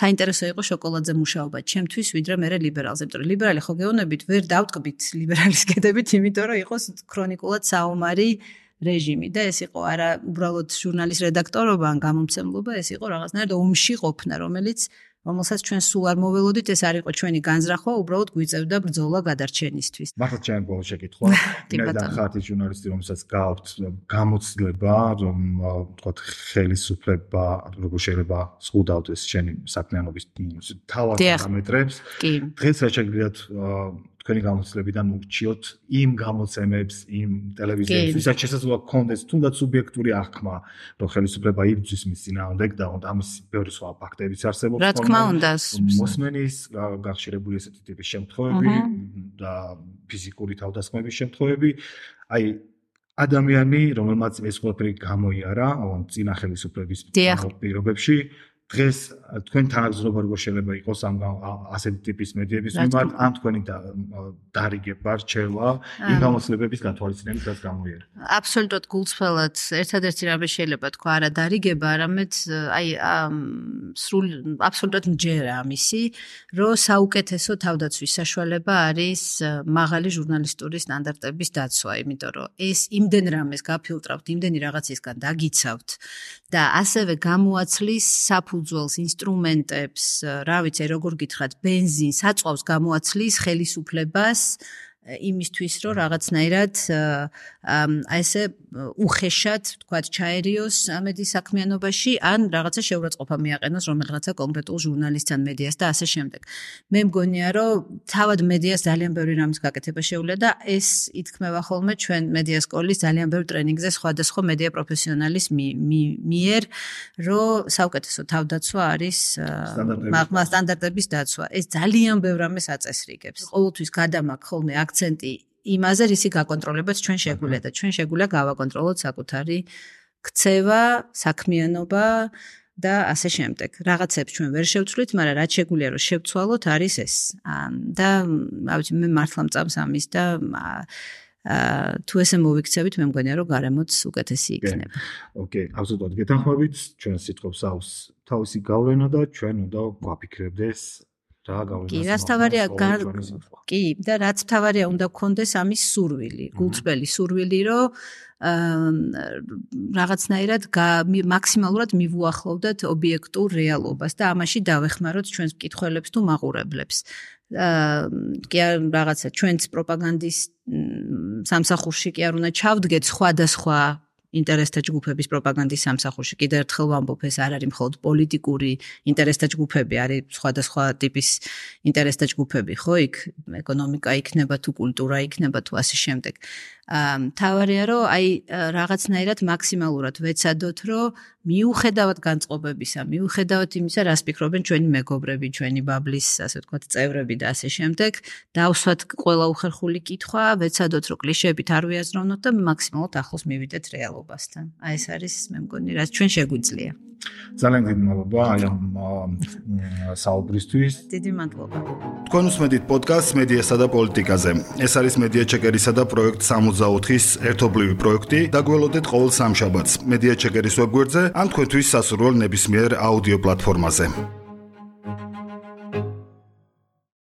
საინტერესო იყო შოკოლადზე მუშაობა ჩემთვის ვიდრე მე ლიბერალზე იმიტომ რომ ლიბერალი ხო გეუბნებით ვერ დავტკბით ლიბერალის კეთებით იმიტომ რომ იყოს ქრონიკულად საომარი რეჟიმი და ეს იყო არა უბრალოდ ჟურნალის რედაქტორობა ან გამომცემლობა, ეს იყო რაღაცნაირად ომში ყოფნა, რომელიც რომელსაც ჩვენ სულ არ მოველოდით, ეს არ იყო ჩვენი განზრახვა, უბრალოდ გვიწევდა ბრძოლა გადარჩენისთვის. მართლა ჩემი ბოლო შეკითხვა. მე ხათი ჟურნალისტი, რომელსაც გააქვთ გამოცდილება, რომ ვთქვათ, ხელისუფლება როგორ შეიძლება ზღუდავდეს ჩემი საქმიანობის თავად პარამეტრებს. დღეს რა შეგიძლიათ თქვენი გამოცდილებიდან ურჩიოთ იმ გამოცემებს, იმ ტელევიზიებს, ვისაც შესაძლოა გქონდეს თუნდაც სუბიექტური აღქმა, რომ ხელისუფლება იბრძვის მის წინააღმდეგ და ამის ბევრი სხვა ფაქტებიც არსებობს. რა თქმა უნდა, მოსმენის გახშირებული ესეთი ტიპის შემთხვევები და ფიზიკური თავდასხმების შემთხვევები, აი ადამიანი, რომელმაც ეს ყველაფერი გამოიარა, წინა ხელისუფლების პირობებში დღეს თქვენ თანაგზნობა როგორ შეიძლება იყოს ამ ასეთი ტიპის მედიების მიმართ ან თქვენი დარიგება რჩევა იმ გამოცდილებების გათვალისწინებით რაც გამოიარა. აბსოლუტურად გულწრფელად ერთადერთი რამე შეიძლება თქვა არა დარიგება, არამედ აი სრულ აბსოლუტურად მჯერა ამისი, რომ საუკეთესო თავდაცვის საშუალება არის მაღალი ჟურნალისტური სტანდარტების დაცვა, იმიტომ რომ ეს იმდენ რამეს გაფილტრავთ, იმდენი რაღაცისგან დაგიცავთ და ასევე გამოაცლის საფუძველს ინსტრუმენტებს, რა ვიცი, როგორ გითხრათ, ბენზინს, აწვავს გამოაცლის ხელისუფლებას იმისთვის, რომ რაღაცნაირად აი ესე უხეშად, თქვათ, ჩაერიოს მედიის საქმიანობაში, ან რაღაცა შეურაცხყოფა მიაყენოს რომელიღაცა კონკრეტულ ჟურნალისტს ან მედიას და ასე შემდეგ. მე მგონია, რომ თავად მედიას ძალიან ბევრი რამის გაკეთება შეუძლია და ეს ითქმება ხოლმე ჩვენ მედია სკოლის ძალიან ბევრ ტრენინგზე სხვადასხვა მედია პროფესიონალის მიერ, რომ საუკეთესო თავდაცვა არის მაღლა სტანდარტების დაცვა. ეს ძალიან ბევრ რამეს აწესრიგებს. ყოველთვის გადამაქვს ხოლმე აქცენტი იმაზე, რისი გაკონტროლებაც ჩვენ შეგვიძლია და ჩვენ შეგვიძლია გავაკონტროლოთ საკუთარი ქცევა, საქმიანობა და ასე შემდეგ. რაღაცებს ჩვენ ვერ შევცვლით, მაგრამ რაც შეგვიძლია რომ შევცვალოთ არის ეს. და ავიცი მე მართლა მწამს ამის და თუ ესე მოვიქცევით, მე მგონია რომ გარემოც უკეთესი იქნება. ოკეი, აბსოლუტურად გეთანხმებით, ჩვენ სიტყვებს აქვს თავისი გავლენა და ჩვენ უნდა გვაფიქრებდეს კი, რაც თავარია კი და რაც თავარია უნდა გქონდეს ამის სურვილი, გულწრფელი სურვილი, რომ რაღაცნაირად მაქსიმალურად მივუახლოვდეთ ობიექტურ რეალობას და ამაში დავეხმაროთ ჩვენს მკითხველებს თუ მაყურებლებს. კი რაღაცა ჩვენს პროპაგანდის სამსახურში კი არ უნდა ჩავდგეთ სხვადასხვა ინტერესთა ჯგუფების პროპაგანდის სამსახურში. კიდევ ერთხელ ვამბობ, ეს არ არის მხოლოდ პოლიტიკური ინტერესთა ჯგუფები, არის სხვადასხვა ტიპის ინტერესთა ჯგუფები, ხო, იქ ეკონომიკა იქნება თუ კულტურა იქნება თუ ასე შემდეგ. მთავარია, რომ აი რაღაცნაირად მაქსიმალურად ვეცადოთ, რომ მიუხედავად განწყობებისა, მიუხედავად იმისა, რას ფიქრობენ ჩვენი მეგობრები, ჩვენი ბაბლის, ასე ვთქვათ, წევრები და ასე შემდეგ, დავსვათ ყველა უხერხული კითხვა, ვეცადოთ, რომ კლიშეებით არ ვიაზროვნოთ და მაქსიმალურად ახლოს მივიდეთ რეალობასთან. აი ეს არის, მე მგონი, რაც ჩვენ შეგვიძლია. ძალიან დიდი მადლობა აი ამ საუბრისთვის. დიდი მადლობა. თქვენ უსმენთ პოდკასტს მედიასა და პოლიტიკაზე. ეს არის მედია ჩეკერისა და პროექტ სამოცდაოთხის ერთობლივი პროექტი. დაგველოდეთ ყოველ სამშაბათს მედია ჩეკერის ვებგვერდზე ან თქვენთვის სასურველ ნებისმიერ აუდიო პლატფორმაზე.